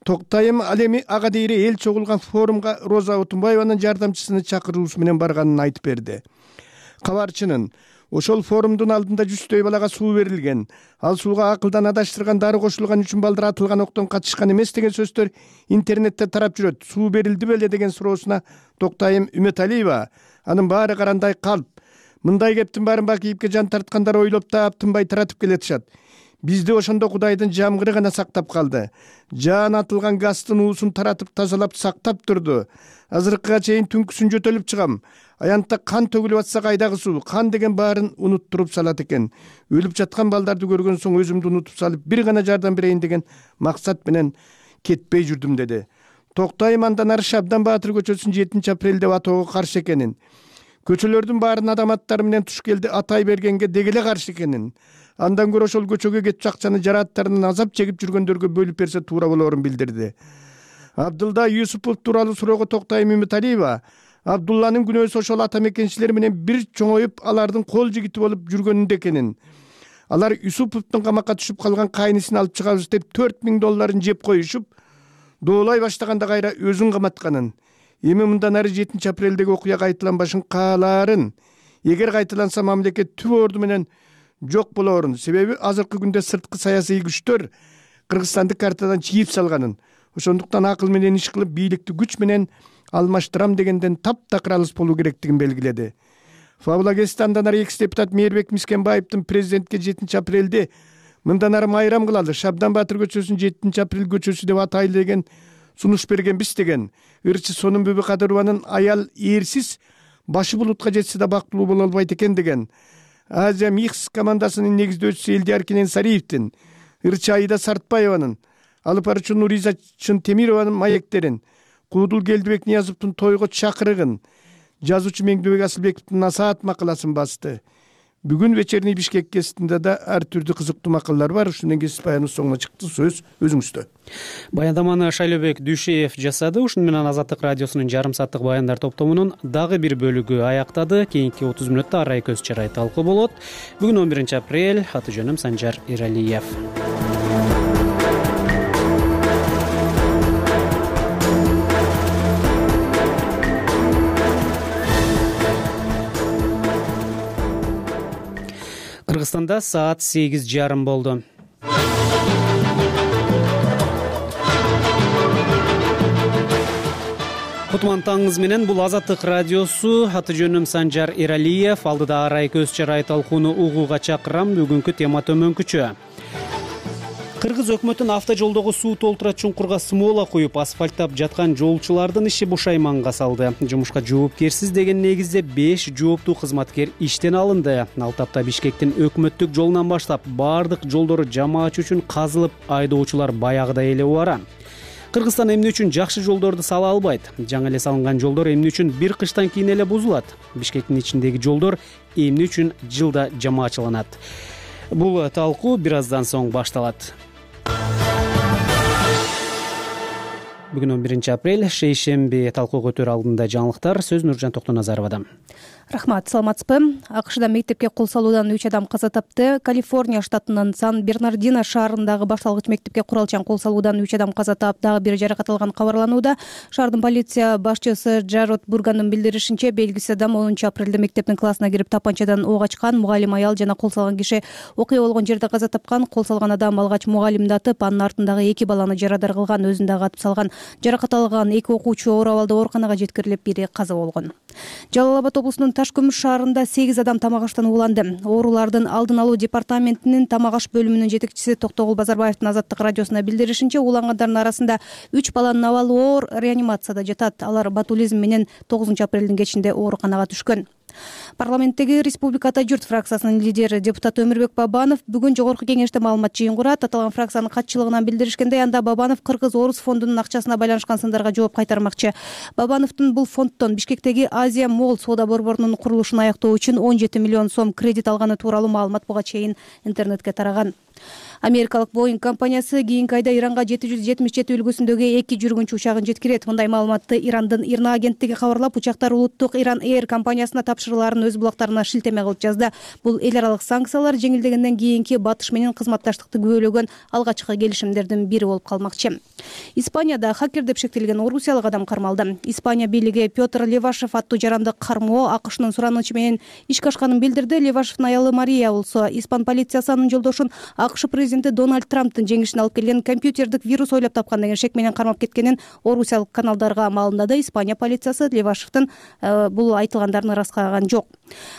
Токтайым ал эми ага дейре эл чогулган форумга Роза Отунбаеванын жардамчысыны чакыруусу менен барганын айтып берди. Кабарчынын ошол форумдун алдында 100дөй балага суу берилген, ал сууга акылдан адаштырган дары кошулган үчүн балдар атылган октон качышкан эмес деген сөздөр интернетте тарап жүрөт. Суу берилди беле деген суроосуна Токтайым Үмөталиева, анын баары карандай калп, мындай кептин баарын Бакиевке жан тарткандар ойлоп таап тынбай таратып келатышат. Бизди ошондо Кудайдын жамгыры гана сактап калды. Жаан атылган газдын уусун таратып тазалап сактап турду. Азыркыга чейин түнкүсүн жөтөлүп чыгам. Аянтта кан төгүлүп атса кайдагы суу, кан деген баарын унуттуруп салат экен. Өлүп жаткан балдарды көргөн соң өзүмдү унутуп салып, бир гана жардам берейин деген максат менен кетпей жүрдүм деди. Токтайым андан ары Шабдан Баатыр көчөсүн 7 апрель деп атоого каршы экенин, көчөлөрдүн баарын адам аттары менен туш келди атай бергенге дегеле каршы экенин, андан көрө ошол көчөгө кетчү акчаны жарааттарынан азап чегип жүргөндөргө бөлүп берсе туура болоорун билдирди. Абдулда Юсупов тууралуу суроого Токтайым Үмөталиева, Абдулланын күнөөсү ошол ата мекенчилер менен бир чоңоюп, алардын кол жигити болуп жүргөнүндө экенин. Алар Юсуповдун камакка түшүп калган кайнысын алып чыгабыз деп $4000 жеп коюшуп, доолай баштаганда кайра өзүн каматканын. Эми мындан ары 7 апрелдеги окуя кайталанбашын каалаарын, эгер кайталанса мамлекет түп орду менен жок болоорун, себеби азыркы күндө сырткы саясий күчтөр Кыргызстанды картадан чийип салганын, ошондуктан акыл менен иш кылып бийликти күч менен алмаштырам дегенден таптакыр алыс болуу керектигин белгиледи. Фабула Гестандан ары экс-депутат Мээрбек Мискенбаевдин президентке 7 апрелде мындан ары майрам кылалы, Шабдан Баатыр көчөсүн 7 апрель көчөсү деп атайлы деген сунуш бергенбиз деген. Ырчы Сонун Бүбү Кадырованын аял эрсиз башы булутка жетсе да бактылуу боло албайт экен деген. Азия Микс командасынын негиздөөчүсү Элдияр Кенен Сариевдин, Ырчы Айда Сартбаеванын, алып баруучу Нуриза Чынтемированын маектерин, Куудул Келдибек Ниязовдун тойго чакырыгын, жазуучу Меңдебек Асылбековдун насаат макаласын басты. Бүгүн вечерний Бишкек гезитинде да ар түрдүү кызыктуу макалалар бар. Ушундан кийин баяныбыз соңуна чыкты. Сөз өзүңүздө. Баяндаманы Шайлообек Дүйшеев жасады. Ушуну менен Азаттык радиосунун жарым сааттык баяндар топтомунун дагы бир бөлүгү аяктады. Кийинки 30 мүнөттө арай көз чарай талкуу болот. Бүгүн 11 апрель. Аты жөнүм Санжар Иралиев. Кыргызстанда саат 8:30 болду. Кутман таңыңыз менен, бул Азаттык радиосу. Аты жөнүм Санжар Иралиев. Алдыда арай көз чарай талкууну угууга чакырам. Бүгүнкү тема төмөнкүчө. Кыргыз өкмөтүн автожолдогу суу толтура чуңкурга смола куюп асфальттап жаткан жолчулардын иши бушайманга салды. Жумушка жоопкерсиз деген негизде 5 жооптуу кызматкер иштен алынды. Ал тапта Бишкектин өкмөттүк жолунан баштап баардык жолдору жамаат үчүн казылып, айдоочулар баягыдай эле убара. Кыргызстан эмне үчүн жакшы жолдорду сала албайт? Жаңы эле салынган жолдор эмне үчүн бир кыштан кийин эле бузулат? Бишкектин ичиндеги жолдор эмне үчүн жылда жамаачыланат? Бул талкуу бир аздан соң башталат. Бүгүн 11 апрель, шейшемби, талкуу көтөрүү алдында жаңылыктар. Сөз Нуржан Токтоназаровадан. Рахмат, саламатсызбы? АКШда мектепке кол салуудан 3 адам каза тапты. Калифорния штатынын Сан-Бернардино шаарындагы башталгыч мектепке куралчан кол салуудан 3 адам каза таап, дагы бир жаракат алган кабарланууда. Шаардын полиция башчысы Джарод Бургандын билдиришинче, белгисиз адам 10 апрелде мектептин классына кирип тапанчадан ок ачкан. Мугалим аял жана кол салган киши окуя болгон жерде каза тапкан. Кол салган адам алгач мугалимди атып, анын артындагы 2 баланы жарадар кылган, өзүн дагы атып салган. Жаракат алган 2 окуучу оор абалда ооруканага жеткирилип, бири каза болгон. Жалал Абад облусунун Таш көмүш шаарында 8 адам тамак аштан ууланды. Оорулардын алдын алуу департаментинин тамак аш бөлүмүнүн жетекчиси Токтогул Базарбаевдин Азаттык радиосуна билдиришинче, уулангандардын арасында 3 баланын абалы оор, реанимацияда жатат. Алар ботулизм менен 9 апрелдин кечинде ооруканага түшкөн. Парламенттеги Республика Ата журт фракциясынын лидери депутат Өмүрбек Бабанов бүгүн жогорку кеңеште маалымат жыйын курат. Аталган фракциянын катчылыгынан билдиришкендей, анда Бабанов Кыргыз-Орус фондунун акчасына байланышкан сындарга жооп кайтармакчы. Бабановдун бул фонддон Бишкектеги Азия Молл соода борборунун курулушун аяктоо үчүн 17 миллион сом кредит алганы тууралуу маалымат буга чейин интернетке тараган. Америкалык Boeing компаниясы кийинки айда Иранга 777 үлгүсүндөгү 2 жүргүнчү учагын жеткирет. Мындай маалыматты Ирандын ИРНА агенттиги кабарлап, учактар улуттук Иран Air компаниясына тапшырууларын өз булактарына шилтеме кылып жазды. Бул эл аралык санкциялар жеңилдегенден кийинки Батыш менен кызматташтыкты күбөлөгөн алгачкы келишимдердин бири болуп калмакчы. Испанияда хакер деп шектелген орусиялык адам кармалды. Испания бийлиги Петр Левашев аттуу жаранды кармоо АКШнын суранычы менен ишке ашканын билдирди. Левашевдин аялы Мария болсо, испан полициясы анын жолдошун АКШ президенти Дональд Трамптын жеңишин алып келген компьютердик вирус ойлоп тапкан деген шек менен кармап кеткенин орусиялык каналдарга маалымдады. Испания полициясы Левашевдин бул айтылгандарын ыраскаган жок.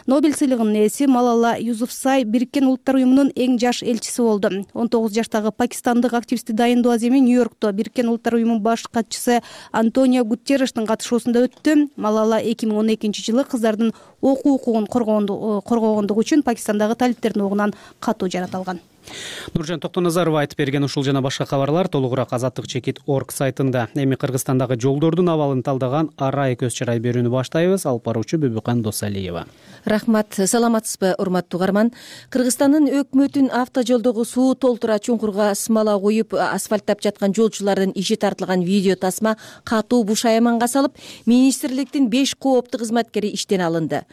Нобель сыйлыгынын ээси Малала Юсуфзай Бириккен Улуттар уюмунун эң жаш элчиси болду. 19 жаштагы пакистандык активистти дайындоо аземи Нью-Йоркто Бириккен Улуттар уюмунун баш катчысы Антонио Гутеррештин катышуусунда өттү. Малала 2012 жылы кыздардын окуу укугун коргогондугу үчүн Пакистандагы талиптердин огунан катуу жараталган. Нуржан Токтоназаров айтып берген ушул жана башка кабарлар толугураак azattik.org сайтында. Эми Кыргызстандагы жолдордун абалын талдаган арай көз чарай берүүнү баштайбыз. Алып баруучу Бүбүкан Досалиева. Рахмат, саламатсызбы урматтуу угарман. Кыргызстандын өкмөтүн автожолдогу суу толтура чуңкурга смола куюп асфальттап жаткан жолчулардын иши тартылган видео тасма катуу бушайманга салып, министрликтин 5 жооптуу кызматкери иштен алынды.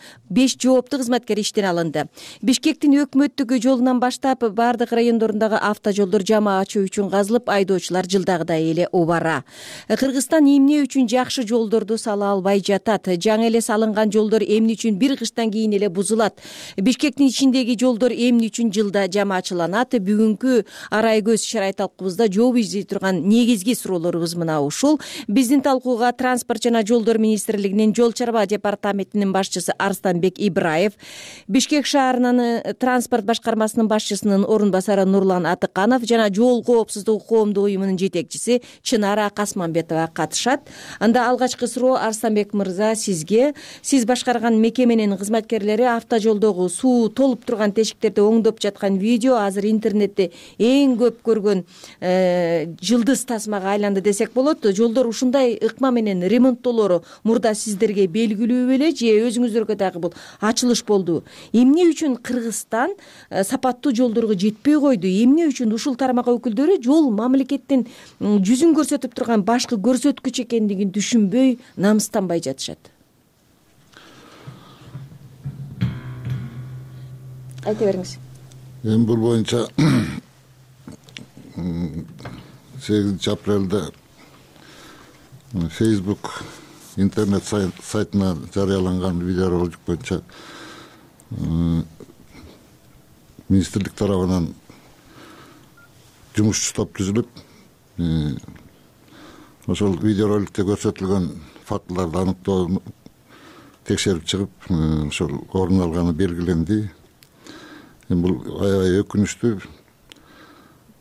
Бишкектин өкмөттүк жолунан баштап бардык райондорундагы автожолдор жамаатчы үчүн казылып, айдоочулар жылдагыдай эле убара. Кыргызстан эмне үчүн жакшы жолдорду сала албай жатат? Жаңы эле салынган жолдор эмне үчүн бир кыштан кийин эле бузулат? Бишкектин ичиндеги жолдор эмне үчүн жылда жамаачыланат? Бүгүнкү арай көз чарай талкуубузда жооп издей турган негизги суроолорубуз мына ушул. Биздин талкууга Транспорт жана жолдор министрлигинин жол чарба департаментинин башчысы Арстанбек Ибраев, Бишкек шаарынын транспорт башкармасынын башчысынын орун басары Нурлан Атыканов жана Жол коопсуздугу коомдук уюмунун жетекчиси Чынара Касманбетова катышат. Анда алгачкы суроо Арстанбек мырза сизге. Сиз башкарган мекеменин кызматкерлери автожолдогу суу толуп турган тешиктерди оңдоп жаткан видео азыр интернетте эң көп көргөн жылдыз тасмага айланды десек болот. Жолдор ушундай ыкма менен ремонттолору мурда сиздерге белгилүү беле же өзүңүздөргө дагы бул ачылыш болду? Эмне үчүн Кыргызстан сапаттуу жолдорго жетпей койду? Эмне үчүн ушул тармак өкүлдөрү жол мамлекеттин жүзүн көрсөтүп турган башкы көрсөткүч экендигин түшүнбөй, намыстанбай жатышат? Айта бериңиз. Эми бул боюнча 8 апрелде Facebook интернет сайтына жарыяланган видеоролик боюнча министрлик тарабынан жумушчу топ түзүлүп, ошол видеороликте көрсөтүлгөн фактыларды аныктоо текшерип чыгып, ошол орун алганы белгиленди. Бул аябай өкүнүчтүү.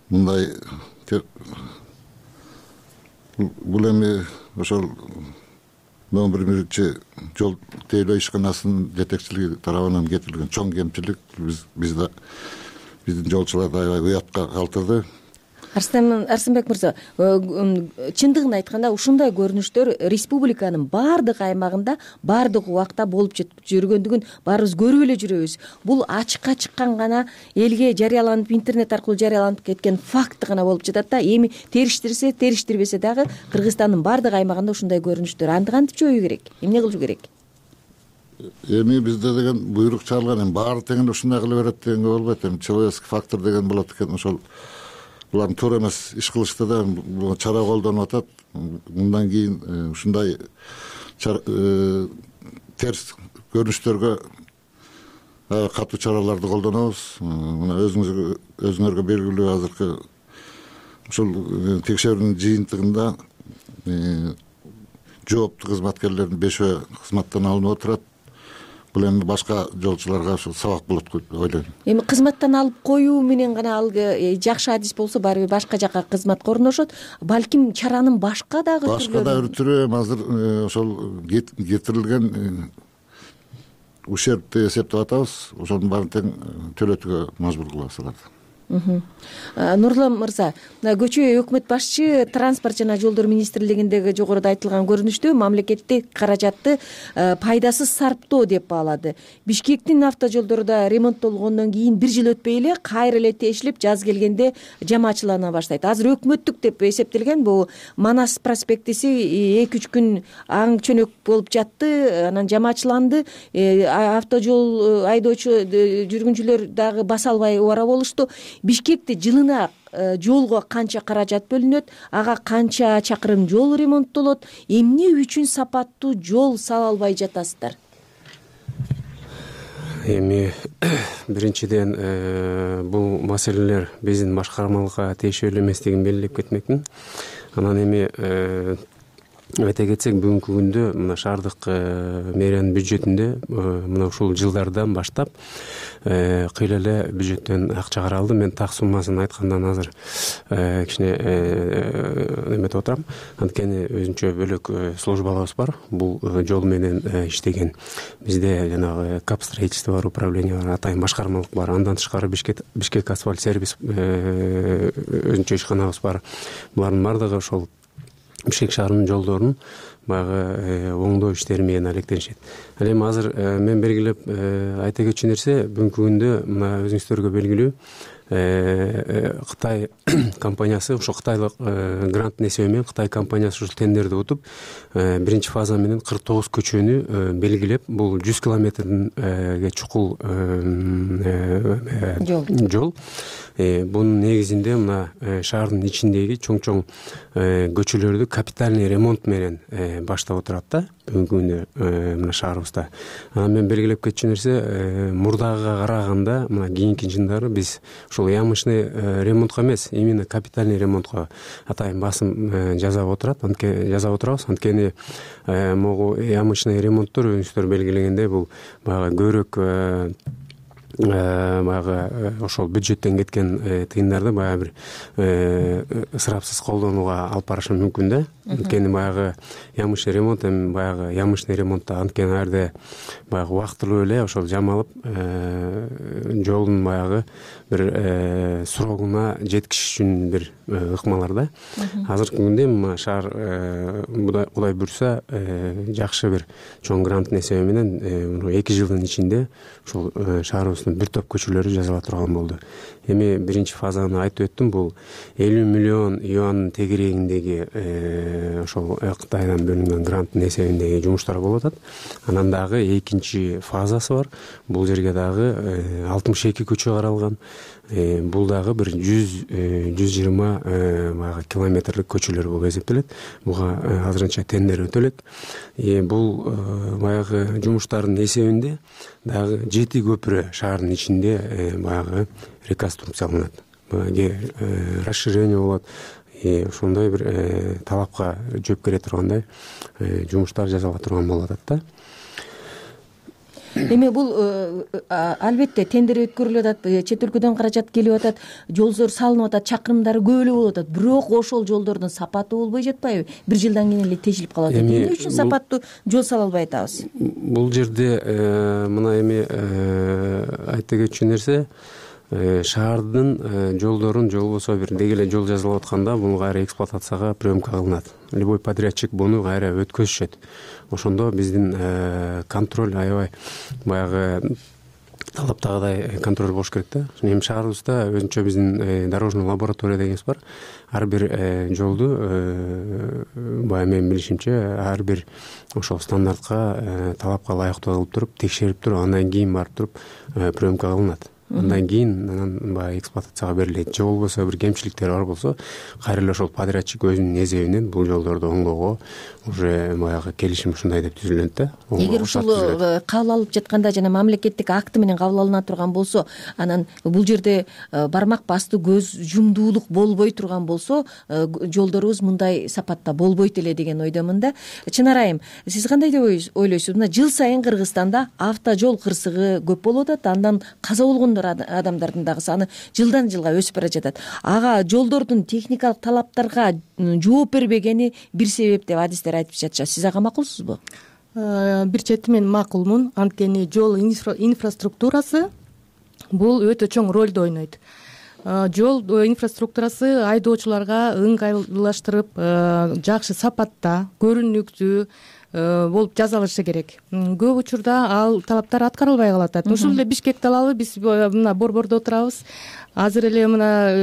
Мындай бул эми ошол 11 жол тейлөө ишканасынын жетекчилиги тарабынан кетирилген чоң кемчилик биздин жолчуларды аябай уятка калтырды. Арсенбек мырза, чындыгын айтканда ушундай көрүнүштөр республиканын баардык аймагында баардык убакта болуп жүргөндүгүн баарыбыз көрүп эле жүрөбүз. Бул ачыкка чыккан гана элге жарыяланып, интернет аркылуу жарыяланып кеткен факт гана болуп жатат да. Эми териштирсе, териштирбесе дагы Кыргызстандын баардык аймагында ушундай көрүнүштөр. Анды кантип жоюу керек? Эмне кылуу керек? Эми бизде деген буйрук чыгарылган, эми баары тең ушундай кыла берет дегенге болбойт. Эми человеческий фактор деген болот экен. Ошол булардын туура эмес иш кылышты да чара колдонуп атат. Мындан кийин ушундай терс көрүнүштөргө катуу чараларды колдонобуз. Мына өзүңөргө белгилүү азыркы ушул текшерүүнүн жыйынтыгында жооптуу кызматкерлердин 5 кызматтан алынып отурат. Бул эми башка жолчуларга ушул сабак болот деп ойлойм. Эми кызматтан алып коюу менен гана ал жакшы адис болсо барыбир башка жака кызматка орношот. Балким чаранын башка дагы түрү азыр ошол кетирилген ущербти эсептеп атабыз. Ошонун баарын тең төлөтүүгө мажбур кылабыз аларды. Нурлан мырза, көчө өкмөт башчы транспорт жана жолдор министрлигиндеги жогоруда айтылган көрүнүштү мамлекеттик каражатты пайдасыз сарптоо деп баалады. Бишкектин автожолдору да ремонттолгондон кийин 1 жыл өтпөй эле кайра эле тешилип, жаз келгенде жамаачылана баштайт. Азыр өкмөттүк деп эсептелген бул Манас проспектиси 2-3 күн аң чөнөк болуп жатты, анан жамаачыланды. Автожол айдоочу жүргүнчүлөр дагы баса албай убара болушту. Бишкекте жылына жолго канча каражат бөлүнөт, ага канча чакырым жол ремонттолот, эмне үчүн сапаттуу жол сала албай жатасыздар? Эми биринчиден бул маселелер биздин башкармалыкка тиешелүү эместигин белгилеп кетмекмин. Анан эми айта кетсек, бүгүнкү күндө мына шаардык мэриянын бюджетинде мына ушул жылдардан баштап кыйла эле бюджеттен акча каралды. Мен так суммасын айткандан азыр кичине эметип отурам. Анткени өзүнчө бөлөк службаларыбыз бар. Бул жол менен иштеген бизде жанагы кап строительство бар, управление бар, атайын башкармалык бар. Андан тышкары Бишкек асфальт сервис өзүнчө ишканабыз бар. Булардын баардыгы ошол Бишкек шаарынын жолдорун баягы оңдоо иштери менен алектенишет. Ал эми азыр мен белгилеп айта кетчү нерсе, бүгүнкү күндө мына өзүңүздөргө белгилүү Кытай компаниясы, ошо кытайлык гранттын эсеби менен Кытай компаниясы ушул тендерди утуп, биринчи фаза менен 49 көчөнү белгилеп, бул 100 километрге чукул жол. Бунун негизинде мына шаардын ичиндеги чоң-чоң көчөлөрдү капитальный ремонт менен баштап отурат да бүгүнкү күндө мына шаарыбызда. Анан мен белгилеп кетчү нерсе, мурдагыга караганда мына кийинки жылдары биз ушул ямочный ремонтко эмес, именно капитальный ремонтко атайын басым жасап отурабыз. Анткени могу ямочный ремонттор өзүңүздөр белгилегендей бул баягы көбүрөөк баягы ошол бюджеттен кеткен тыйындарды баягы бир ысырапсыз колдонууга алып барышы мүмкүн да. Анткени баягы ямышный ремонт эми баягы ямышный ремонтта анткени ал жерде баягы убактылуу эле ошол жамалып жолдун баягы бир срогуна жеткизиш үчүн бир ыкмалар да. Азыркы күндө эми шаар Кудай буйрса жакшы бир чоң гранттын эсеби менен 2 жылдын ичинде ушул шаарыбыздын бир топ көчөлөрү жазыла турган болду. Эми биринчи фазаны айтып өттүм, бул 50 миллион юандын тегерегиндеги ошол Кытайдан бөлүнгөн гранттын эсебиндеги жумуштар болуп атат. Анан дагы экинчи фазасы бар. Бул жерге дагы 62 көчө каралган. Бул дагы бир 100-120 баягы километрлик көчөлөр болуп эсептелет. Буга азырынча тендер өтөлөт. Бул баягы жумуштардын эсебинде дагы 7 көпүрө шаардын ичинде баягы реконструкцияланат. Расширение болот. Ошондой бир талапка жооп бере тургандай жумуштар жасала турган болуп атат да. Эми бул албетте тендер өткөрүлүп атат, чет өлкөдөн каражат келип атат, жолдор салынып атат, чакырымдары көп эле болуп атат. Бирок ошол жолдордун сапаты болбой жатпайбы? Бир жылдан кийин эле тешилип калат. Эмне үчүн сапаттуу жол сала албай атабыз? Бул жерде мына эми айта кетчү нерсе, шаардын жолдорун же болбосо бир деги эле жол жазылып атканда буну кайра эксплуатацияга приемка кылынат. Любой подрядчик буну кайра өткөзүшөт. Ошондо биздин контроль аябай баягы талаптагыдай контроль болуш керек да. Эми шаарыбызда өзүнчө биздин дорожный лаборатория дегенибиз бар. Ар бир жолду баягы менин билишимче ар бир ошол стандартка талапка ылайыктуу кылып туруп текшерип туруп андан кийин барып туруп приемка кылынат. Андан кийин баягы эксплуатацияга берилет. Же болбосо бир кемчиликтер бар болсо, кайра эле ошол подрядчик өзүнүн эсебинен бул жолдорду оңгоого уже баягы келишим ушундай деп түзүлөт да. Эгер ушул кабыл алып жатканда жана мамлекеттик акты менен кабыл алына турган болсо, анан бул жерде бармак басты көз жумдуулук болбой турган болсо, жолдорубуз мындай сапатта болбойт эле деген ойдомун да. Чынар айым, сиз кандай деп ойлойсуз? Мына жыл сайын Кыргызстанда автожол кырсыгы көп болуп атат, андан каза болгондор адамдардын дагы саны жылдан жылга өсүп бара жатат. Ага жолдордун техникалык талаптарга жооп бербегени бир себеп деп адистер айтып жатышат. Сиз ага макулсузбу? Бир чети мен макулмун. Анткени жол инфраструктурасы бул өтө чоң ролду ойнойт. Жол инфраструктурасы айдоочуларга ыңгайлаштырып, жакшы сапатта, көрүнүктүү болуп жасалышы керек. Көп учурда ал талаптар аткарылбай калат. Ушул эле Бишкекти алалы, биз мына борбордо отурабыз. Азыр эле мына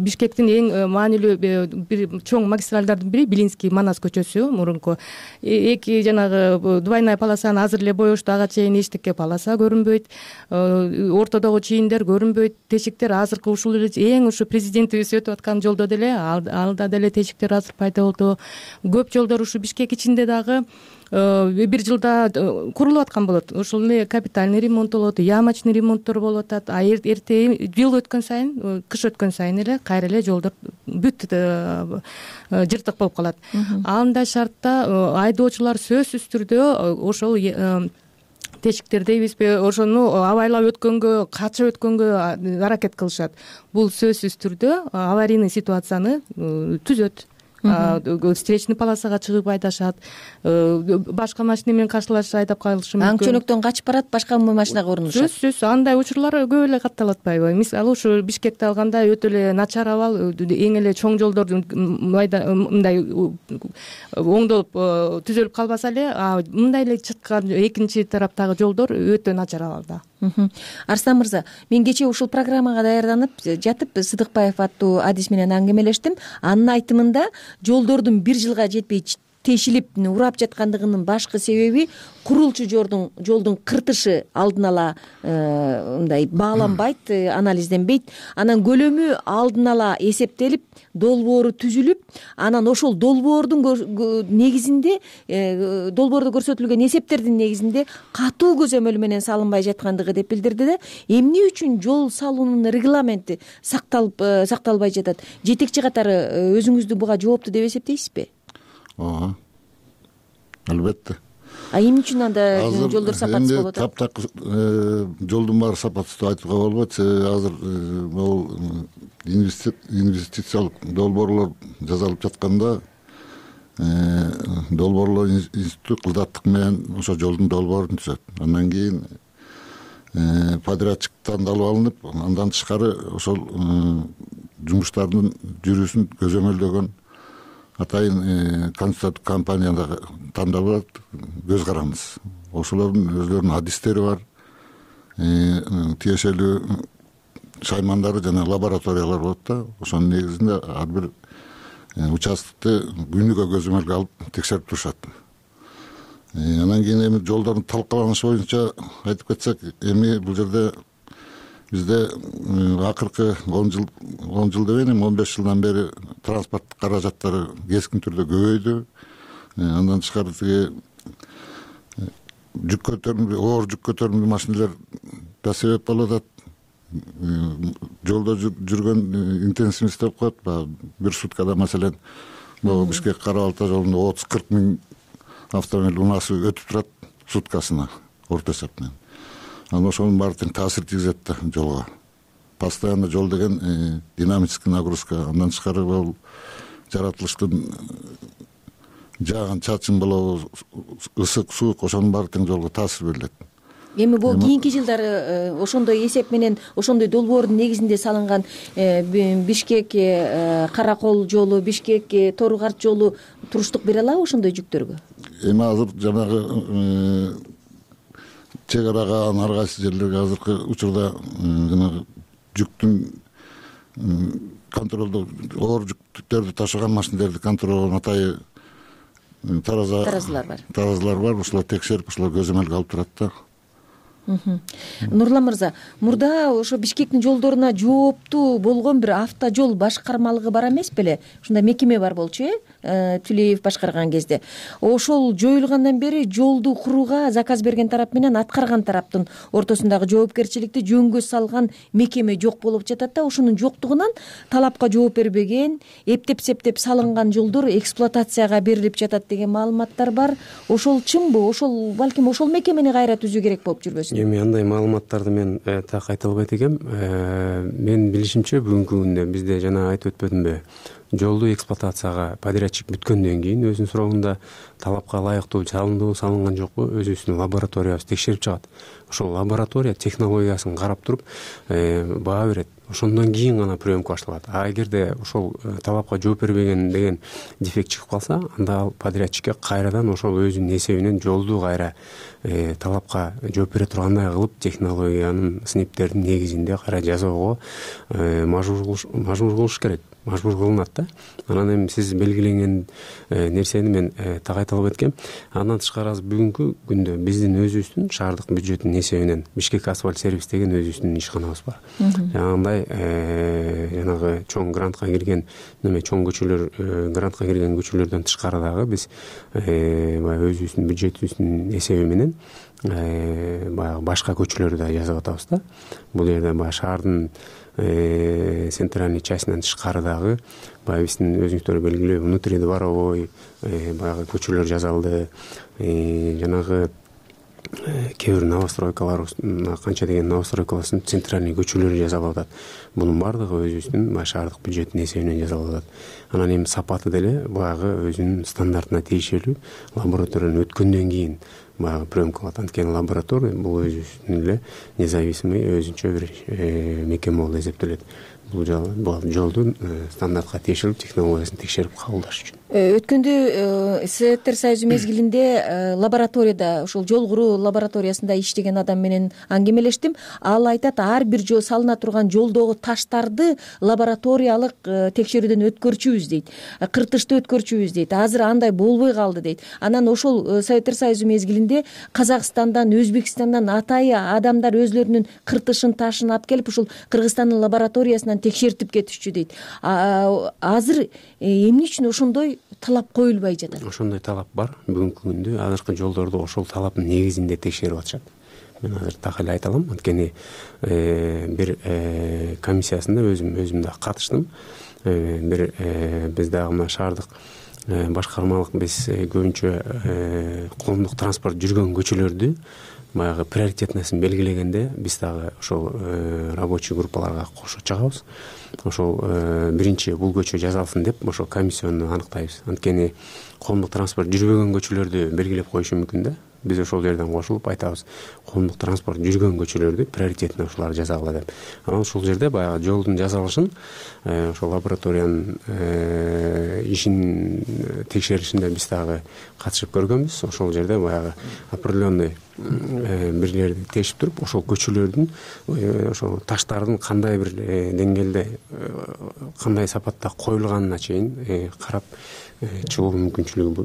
Бишкектин эң маанилүү бир чоң магистралдардын бири Белинский Манас көчөсү, мурунку. Эки жанагы двойная полосаны азыр эле боешту, ага чейин эчтеке полоса көрүнбөйт. Ортодогу чийиндер көрүнбөйт. Тешиктер азыркы ушул эле эң ушу президентибиз өтүп аткан жолдо деле алда деле тешиктер азыр пайда болду. Көп жолдор ушу Бишкек ичинде дагы бир жылда курулуп аткан болот. Ошол эле капитальный ремонт болот, ямочный ремонттор болуп атат. Эрте жыл өткөн сайын, кыш өткөн сайын эле кайра эле жолдор бүт жыртык болуп калат. Андай шартта айдоочулар сөзсүз түрдө ошол тешиктер дейбизби, ошону абайлап өткөнгө, качып өткөнгө аракет кылышат. Бул сөзсүз түрдө аварийный ситуацияны түзөт. Встречный полосага чыгып айдашат, башка машина менен каршылашып айдап калышы мүмкүн. Аңчөнөктөн качып барат, башка машинага орунушат. Сөзсүз андай учурлар көп эле катталып атпайбы? Мисалы ушу Бишкекти алганда өтө эле начар абал, эң эле чоң жолдордун мындай оңдолуп түзөлүп калбаса эле, мындай эле чыккан экинчи тараптагы жолдор өтө начар абалда. Арслан мырза, мен кечээ ушул программага даярданып жатып Сыдыкбаев аттуу адис менен аңгемелештим. Анын айтымында жолдордун бир жылга жетпей тешилип урап жаткандыгынын башкы себеби курулчу жолдун кыртышы алдын ала мындай бааланбайт, анализденбейт. Анан көлөмү алдын ала эсептелип, долбоору түзүлүп, анан ошол долбоордун негизинде, долбоордо көрсөтүлгөн эсептердин негизинде катуу көзөмөл менен салынбай жаткандыгы деп билдирди да. Эмне үчүн жол салуунун регламенти сакталбай жатат? Жетекчи катары өзүңүздү буга жоопту деп эсептейсизби? Албетте. Эмне үчүн анда жолдор сапатсыз болуп атат? Таптак жолдун баары сапатсыз деп айтууга болбойт. Азыр могул инвестициялык долбоорлор жасалып жатканда долбоорлор институту кылдаттык менен ошо жолдун долбоорун түзөт. Андан кийин подрядчик тандалып алынып, андан тышкары ошол жумуштардын жүрүүсүн көзөмөлдөгөн атайын консультанттык компания да тандалып көз караныз. Ошолордун өзлөрүнүн адистери бар, тиешелүү шаймандары жана лабораториялар болот да. Ошонун негизинде ар бир участкты күнүгө көзөмөлгө алып текшерип турушат. Анан кийин эми жолдордун талкаланышы боюнча айтып кетсек, эми бул жерде бизде акыркы 10 жыл дебейин, 15 жылдан бери транспорттук каражаттары кескин түрдө көбөйдү. Андан тышкары тиги оор жүк көтөрүмдүү машиналар да себеп болуп атат. Жолдо жүргөн интенсивность деп коет. Бир суткада маселен Бишкек Кара Балта жолунда 30-40 миң автомобиль унасы өтүп турат суткасына орто эсеп менен. Анан ошонун баары тең таасир тийгизет да жолго. Постоянно жол деген динамический нагрузка. Андан тышкары бул жаратылыштын жааган чачын болобу, ысык, суук, ошонун баары тең жолго таасир берилет. Эми бул кийинки жылдары ошондой эсеп менен, ошондой долбоордун негизинде салынган Бишкек Каракол жолу, Бишкек Торугарт жолу туруштук бере алабы ошондой жүктөргө? Эми азыр жанагы чек арага ар кайсы жерлерге азыркы учурда жанагы жүктүн контролдоо, оор жүктөрдү ташыган машиналерди контролдоо атайы таразылар бар. Ошолор текшерип, ошолор көзөмөлгө алып турат да. Нурлан мырза, мурда ошо Бишкектин жолдоруна жооптуу болгон бир автожол башкармалыгы бар эмес беле? Ушундай мекеме бар болчу, Түлеев башкарган кезде. Ошол жоюлгандан бери жолду курууга заказ берген тарап менен аткарган тараптын ортосундагы жоопкерчиликти жөнгө салган мекеме жок болуп жатат да. Ошонун жоктугунан талапка жооп бербеген, эптеп-септеп салынган жолдор эксплуатацияга берилип жатат деген маалыматтар бар. Ошол чынбы? Ошол балким ошол мекемени кайра түзүү керек болуп жүрбөсүн? Эми андай маалыматтарды мен так айта албайт экенм. Мен билишимче бүгүнкү күндө бизде жана айтып өтпөдүмбү, жолду эксплуатацияга подрядчик бүткөндөн кийин өзүнүн срогунда талапка ылайыктуу салынган жокпу, өзүбүздүн лабораториябыз текшерип чыгат. Ошол лаборатория технологиясын карап туруп баа берет. Ошондон кийин гана приемка башталат. А эгерде ошол талапка жооп бербеген деген дефект чыгып калса, анда ал подрядчикке кайрадан ошол өзүнүн эсебинен жолду кайра талапка жооп бере тургандай кылып, технологиянын сыниптердин негизинде кайра жасоого мажбур кылыш керек. Мажбур кылынат да. Анан эми сиз белгиленген нерсени мен так айта албайт экенм. Андан тышкары бүгүнкү күндө биздин өзүбүздүн шаардык бюджеттин эсебинен Бишкек асфальт сервис деген өзүбүздүн ишканабыз бар. Жанагындай жанагы чоң грантка кирген чоң көчөлөр, грантка кирген көчөлөрдөн тышкары дагы биз баягы өзүбүздүн бюджетибиздин эсеби менен баягы башка көчөлөрдү да жасап атабыз да. Бул жерде баягы шаардын центральный частинен тышкары дагы баягы биздин өзүңүздөр белгилүү внутридворовой баягы көчөлөр жасалды. Жанагы кээ бир новостройкалар, канча деген новостройкалардын центральный көчөлөрү жасалып атат. Бунун баардыгы өзүбүздүн шаардык бюджеттин эсебинен жасалып атат. Анан эми сапаты деле баягы өзүнүн стандартына тийишелүү лабораториядан өткөндөн кийин баягы приемка кылат. Анткени лаборатория бул өзүнүн эле независимый өзүнчө бир мекеме болуп эсептелет. Бул жолдун стандартка тиешелүү технологиясын текшерип кабылдаш үчүн. Өткөндө Советтер Союзу мезгилинде лабораторияда, ошол жол куруу лабораториясында иштеген адам менен аңгемелештим. Ал айтат, ар бир жол салына турган жолдогу таштарды лабораториялык текшерүүдөн өткөрчүбүз дейт. Кыртышты өткөрчүбүз дейт. Азыр андай болбой калды дейт. Анан ошол Советтер Союзу мезгилинде Казакстандан, Өзбекстандан атайы адамдар өзлөрүнүн кыртышын, ташын алып келип ушул Кыргызстандын лабораториясынан текшертип кетишчү дейт. Азыр эмне үчүн ошондой талап коюлбай жатат? Ошондой талап бар. Бүгүнкү күндө азыркы жолдорду ошол талаптын негизинде текшерип атышат. Мен азыр так эле айта алам. Анткени бир комиссиясында өзүм да катыштым. Бир биз дагы мына шаардык башкармалык биз көбүнчө коомдук транспорт жүргөн көчөлөрдү баягы приоритетныйсын белгилегенде биз дагы ошол рабочий группаларга кошо чыгабыз. Ошол биринчи бул көчө жасалсын деп ошол комиссионду аныктайбыз. Анткени коомдук транспорт жүрбөгөн көчөлөрдү белгилеп коюшу мүмкүн да. Биз ошол жерден кошулуп айтабыз, коомдук транспорт жүргөн көчөлөрдү приоритетный ушуларды жасагыла деп. Анан ушул жерде баягы жолдун жасалышын ошол лабораториянын ишин текшеришинде биз дагы катышып көргөнбүз. Ошол жерде баягы определенный бирлерди тешип туруп, ошол көчөлөрдүн ошол таштардын кандай бир деңгээлде, кандай сапатта коюлганына чейин карап чыгуу мүмкүнчүлүгү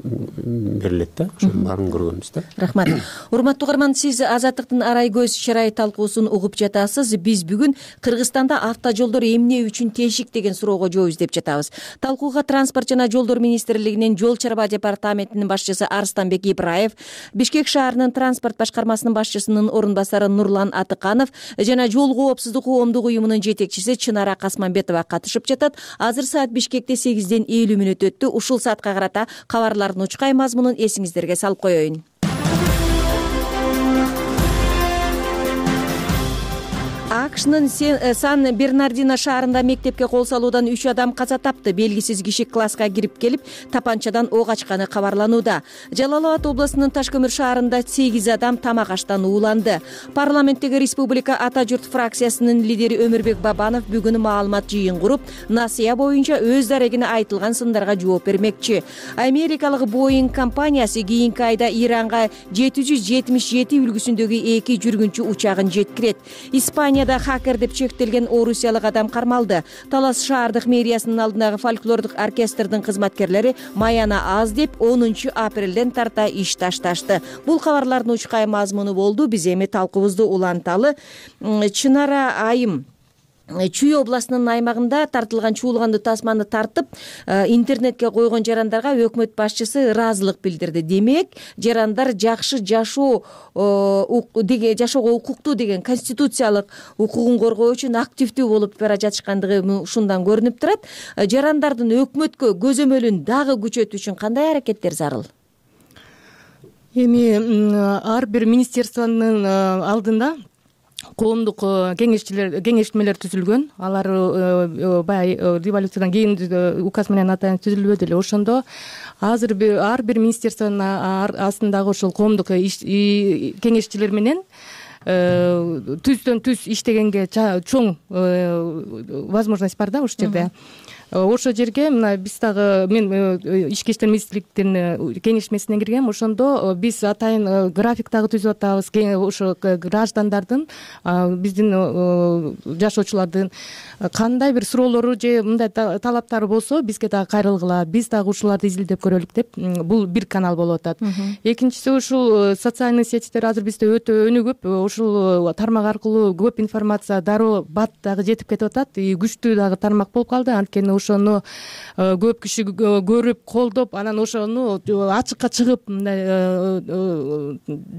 берилет да. Ошонун баарын көргөнбүз да. Рахмат. Урматтуу угарман, сиз Азаттыктын арай көз чырай талкуусун угуп жатасыз. Биз бүгүн Кыргызстанда автожолдор эмне үчүн тешик деген суроого жооп издеп жатабыз. Талкууга Транспорт жана жолдор министрлигинин жол чарба департаментинин башчысы Арстанбек Ибраев, Бишкек шаарынын транспорт башкармасынын башчысынын орун басары Нурлан Атыканов жана жол коопсуздук коомдук уюмунун жетекчиси Чынара Касманбетова катышып жатат. Азыр саат Бишкекте 8:50 өттү. Ушул саатка карата кабарлардын учкай мазмунун эсиңиздерге салып коеюн. АКШнын Сан-Бернардино шаарында мектепке кол салуудан 3 адам каза тапты. Белгисиз киши класска кирип келип, тапанчадан ок ачканы кабарланууда. Жалал Абад облусунун Ташкөмүр шаарында 8 адам тамак аштан ууланды. Парламенттеги Республика Ата журт фракциясынын лидери Өмүрбек Бабанов бүгүн маалымат жыйын куруп, насыя боюнча өз дарегине айтылган сындарга жооп бермекчи. Америкалык Boeing компаниясы кийинки айда Иранга 777 үлгүсүндөгү 2 жүргүнчү учагын жеткирет. Испанияда хакер деп чектелген орусиялык адам кармалды. Талас шаардык мэриясынын алдындагы фольклордук оркестрдин кызматкерлери маяна аз деп 10 апрелден тарта иш ташташты. Бул кабарлардын учкай мазмуну болду. Биз эми талкуубузду уланталы. Чынара айым Чүй областынын аймагында тартылган чуулганды тасманы тартып, интернетке койгон жарандарга өкмөт башчысы ыраазылык билдирди. Демек, жарандар жакшы жашоого укуктуу деген конституциялык укугун коргоо үчүн активдүү болуп бара жатышкандыгы ушундан көрүнүп турат. Жарандардын өкмөткө көзөмөлүн дагы күчөтүү үчүн кандай аракеттер зарыл? Эми ар бир министерствонун алдында коомдук кеңештмелер түзүлгөн. Алар баягы революциядан кийин указ менен атайын түзүлбөдү эле. Ошондо азыр ар бир министерствонун астындагы ошол коомдук кеңешчилер менен түздөн түз иштегенге чоң возможность бар да ошол жерде. Ошол жерге мына биз дагы мен ички иштер министрликтин кеңешмесине киргем. Ошондо биз атайын график дагы түзүп атабыз. Ошо граждандардын, биздин жашоочулардын кандай бир суроолору же мындай талаптары болсо бизге дагы кайрылгыла, биз дагы ушуларды изилдеп көрөлүк деп бул бир канал болуп атат. Экинчиси ушул социальный сетьтер азыр бизде өтө өнүгүп, ушул тармак аркылуу көп информация дароо бат дагы жетип кетип атат. Күчтүү дагы тармак болуп калды. Анткени ошону көп киши көрүп, колдоп, анан ошону ачыкка чыгып, мындай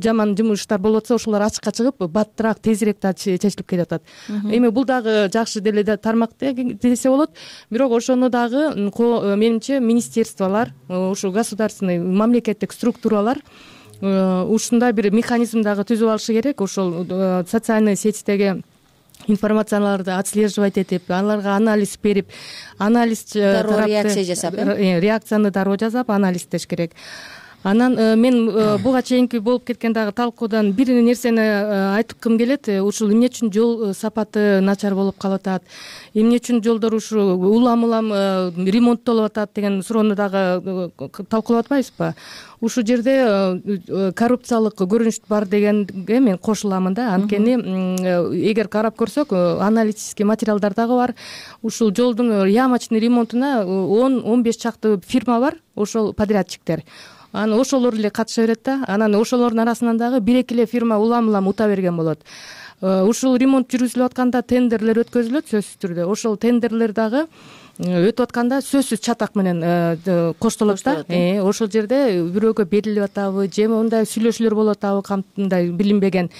жаман жумуштар болуп атса, ошолор ачыкка чыгып, баттыраак, тезирээк да чечилип кетип атат. Эми бул дагы жакшы деле тармак десе болот. Бирок ошону дагы менимче министерстволор, ушу государственный, мамлекеттик структуралар ушундай бир механизм дагы түзүп алышы керек. Ошол социальный сетьтеги информацияларды отслеживать этип, аларга анализ берип, анализ реакция жасап, реакцияны дароо жасап, анализдеш керек. Анан мен буга чейинки болуп кеткен дагы талкуудан бир нерсени айткым келет. Ушул эмне үчүн жол сапаты начар болуп калып атат, эмне үчүн жолдор ушу улам ремонттолуп атат деген суроону дагы талкуулап атпайбызбы? Ушул жерде коррупциялык көрүнүш бар дегенге мен кошуламын да. Анткени эгер карап көрсөк, аналитический материалдар дагы бар. Ушул жолдун ямочный ремонтуна 10-15 чакты фирма бар, ошол подрядчиктер. Анан ошолор эле катыша берет да. Анан ошолордун арасынан дагы 1-2 эле фирма улам ута берген болот. ушул ремонт жүргүзүлүп атканда тендерлер өткөзүлөт сөзсүз түрдө. Ошол тендерлер дагы өтүп атканда сөзсүз чатак менен коштолот да. Ошол жерде бирөөгө берилип атабы же мындай сүйлөшүүлөр болуп атабы, кандай билинбеген.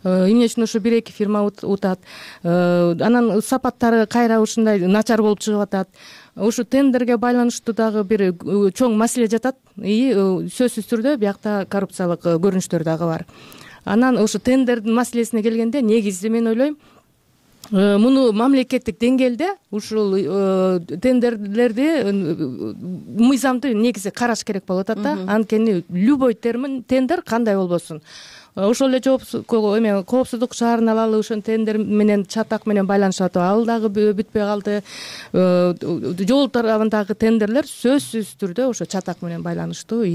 Эмне үчүн ошо 1-2 фирма утат, анан сапаттары кайра ушундай начар болуп чыгып атат. Ушу тендерге байланыштуу дагы бир чоң маселе жатат. Сөзсүз түрдө биякта коррупциялык көрүнүштөр дагы бар. Анан ошо тендердин маселесине келгенде негизи мен ойлойм, муну мамлекеттик деңгээлде ушул тендерлерди мыйзамды негизи караш керек болуп атат да. Анткени любой тендер кандай болбосун, ошол эле коопсуздук шаарын алалы, ошол тендер менен чатак менен байланышып атып, ал дагы бүтпөй калды. Жол тарабындагы тендерлер сөзсүз түрдө ошо чатак менен байланыштуу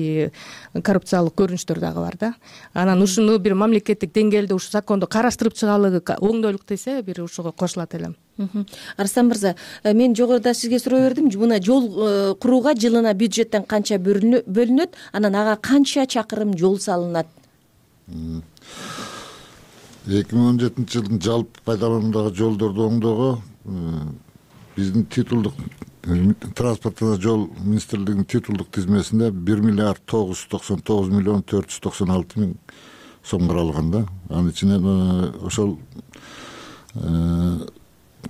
коррупциялык көрүнүштөр дагы бар да. Анан ушуну бир мамлекеттик деңгээлде ушу законду караштырып чыгаалы, оңдойлук десе бир ушуга кошулат элем. Арслан мырза, мен жогоруда сизге суроо бердим, мына жол курууга жылына бюджеттен канча бөлүнөт, анан ага канча чакырым жол салынат? 2017 жылдын жалпы пайдалануудагы жолдорду оңдоого биздин титулдук транспорт жана жол министрлигинин титулдук тизмесинде 1 миллиард 999 миллион 496 миң сом каралган да. Анын ичинен ошол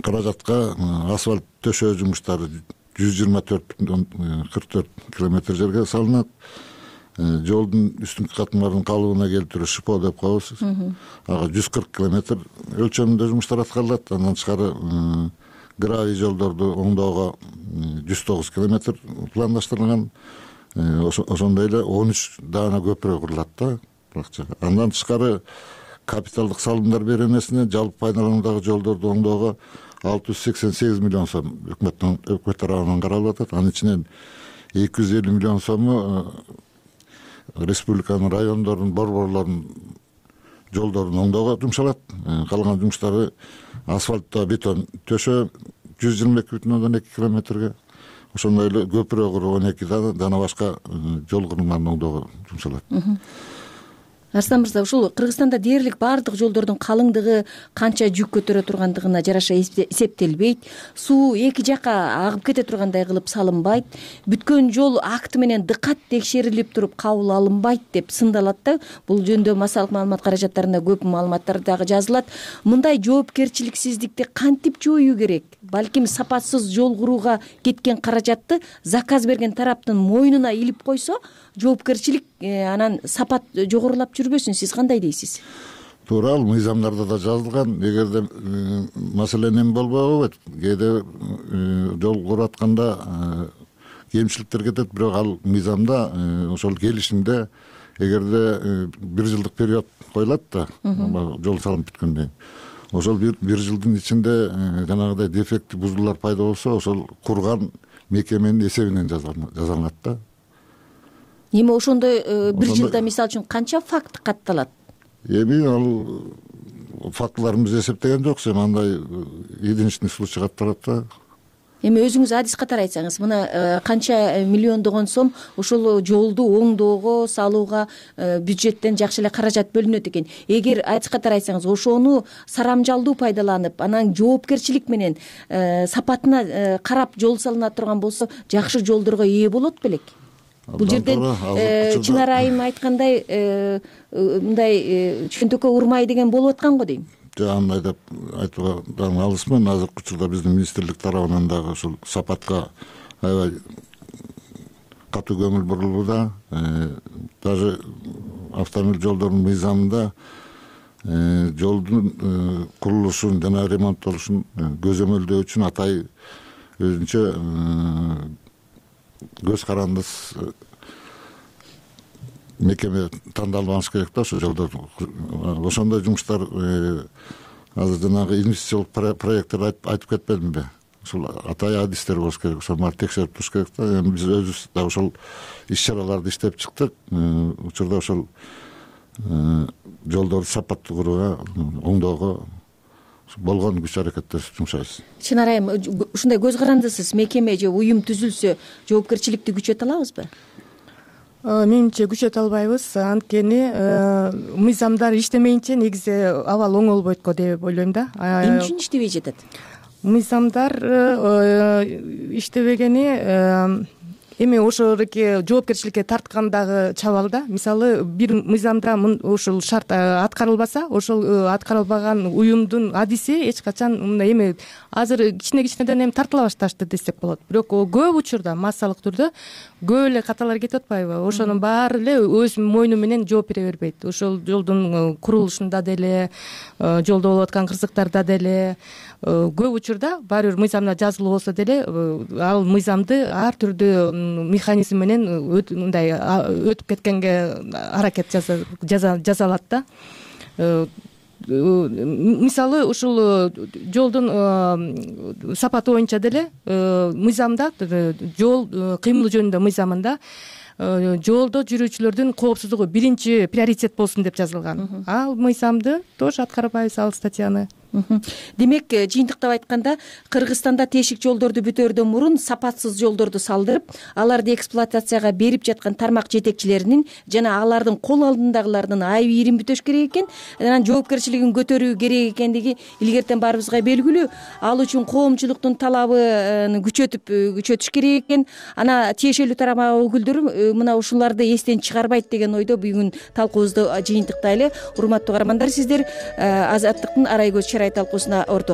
каражатка асфальт төшөө жумуштары 124,44 километр жерге салынат. Жолдун үстүнкү катмаларынын калыбына келтирүү ШПО деп коебуз. Ага 140 километр өлчөмүндө жумуштар аткарылат. Андан тышкары гравий жолдорду оңдоого 109 километр пландаштырылган. Ошондой эле 13 даана көпүрө курулат да. Андан тышкары капиталдык салымдар беренесине жалпы пайдалануудагы жолдорду оңдоого 688 миллион сом өкмөт тарабынан каралып атат. Анын ичинен 250 миллион сому республиканын райондорунун борборлорунун жолдорун оңдоого жумшалат. Калган жумуштары асфальтта бетон төшөө 122,2 километрге, ошондой эле көпүрө куруу 12 дана башка жол курулмаларын оңдоого жумшалат. Арслан мырза, ушул Кыргызстанда дээрлик баардык жолдордун калыңдыгы канча жүк көтөрө тургандыгына жараша эсептелбейт. Суу эки жака агып кете тургандай кылып салынбайт. Бүткөн жол акты менен дыкат текшерилип туруп кабыл алынбайт деп сындалат да. Бул жөнүндө массалык маалымат каражаттарында көп маалыматтар дагы жазылат. Мындай жоопкерчиликсиздикти кантип жоюу керек? Балким сапатсыз жол курууга кеткен каражатты заказ берген тараптын мойнуна илип койсо, жоопкерчилик анан сапат жогорулап жүрбөсүн. Сиз кандай дейсиз? Туура, ал мыйзамдарда да жазылган. Эгерде маселе эме болбойт, кээде жол куруп атканда кемчиликтер кетет, бирок ал мыйзамда ошол келишимде эгерде 1 жылдык период коюлат да, жол салынып бүткөндөн кийин. Ошол 1 жылдын ичинде жанагыдай дефекти бузулуулар пайда болсо, ошол курган мекеменин эсебинен жазалынат да. Эми ошондой 1 жылда мисалы үчүн канча факт катталат? Эми ал фактыларын биз эсептеген жокпуз, эми андай единичный случай катталат да. Эми өзүңүз адис катары айтсаңыз, мына канча миллиондогон сом ошол жолду оңдоого, салууга бюджеттен жакшы эле каражат бөлүнөт экен. Эгер адис катары айтсаңыз, ошону сарамжалдуу пайдаланып, анан жоопкерчилик менен сапатына карап жол салына турган болсо, жакшы жолдорго ээ болот белек? Бул жерден чын арайым айткандай мындай чөнтөккө урмай деген болуп аткан го дейм. Андай деп айтууга дагы алысмын. Азыркы учурда биздин министрлик тарабынан дагы ушул сапатка аябай катуу көңүл бурулууда. Даже автомобиль жолдорунун мыйзамында жолдун курулушун жана ремонттолушун көзөмөлдөө үчүн атай өзүнчө көз карандыс мекеме тандалбаныш керек да, ошол жолдор. Ошондой жумуштар азыр жанагы инвестициялык проекттер айтып кетпедимби? Ошол атай адистер болуш керек, ошол баары текшерип туруш керек да. Эми биз өзүбүз да ошол иш-чараларды иштеп чыктык. Учурда ошол жолдорду сапаттуу курууга, оңдоого болгон күч аракеттерди жумшайбыз. Чын арайым ушундай көз карандысыз мекеме же уюм түзүлсө, жоопкерчиликти күчөтө алабызбы? Менимче күчөтө албайбыз, анткени мыйзамдар иштемейинче негизи абал оңолбойт го деп ойлойм да. Эмне үчүн иштебей жатат? Мыйзамдар иштебегени эми ошолордуки жоопкерчиликке тарткандагы чабал да. Мисалы бир мыйзамда ушул шарт аткарылбаса, ошол аткарылбаган уюмдун адиси эч качан мындай эми азыр кичинеден эми тартыла башташты десек болот. Бирок көп учурда массалык түрдө көп эле каталар кетип атпайбы? Ошонун баары эле өз мойну менен жооп бере бербейт. Ошол жолдун курулушунда деле, жолдо болуп аткан кырсыктарда деле көп учурда баары бир мыйзамда жазылуу болсо деле ал мыйзамды ар түрдүү механизм менен мындай өтүп кеткенге аракет жасалат да. Мисалы ушул жолдун сапаты боюнча деле мыйзамда, жол кыймылы жөнүндө мыйзамында жолдо жүрүүчүлөрдүн коопсуздугу биринчи приоритет болсун деп жазылган. Ал мыйзамды тоже аткарбайбыз, ал статьяны. Демек, жыйынтыктап айтканда, Кыргызстанда тешик жолдорду бүтөөрдөн мурун сапатсыз жолдорду салдырып, аларды эксплуатацияга берип жаткан тармак жетекчилеринин жана алардын кол алдындагылардын айып-ийрин бүтөш керек экен, анан жоопкерчилигин көтөрүү керек экендиги илгертен баарыбызга белгилүү. Ал үчүн коомчулуктун талабын күчөтүш керек экен. Ана тиешелүү тармак өкүлдөрү мына ушуларды эстен чыгарбайт деген ойдо бүгүн талкуубузду жыйынтыктайлы. Урматтуу каармандар, сиздер Азаттыктын Арай көз чырай талкуусуна орток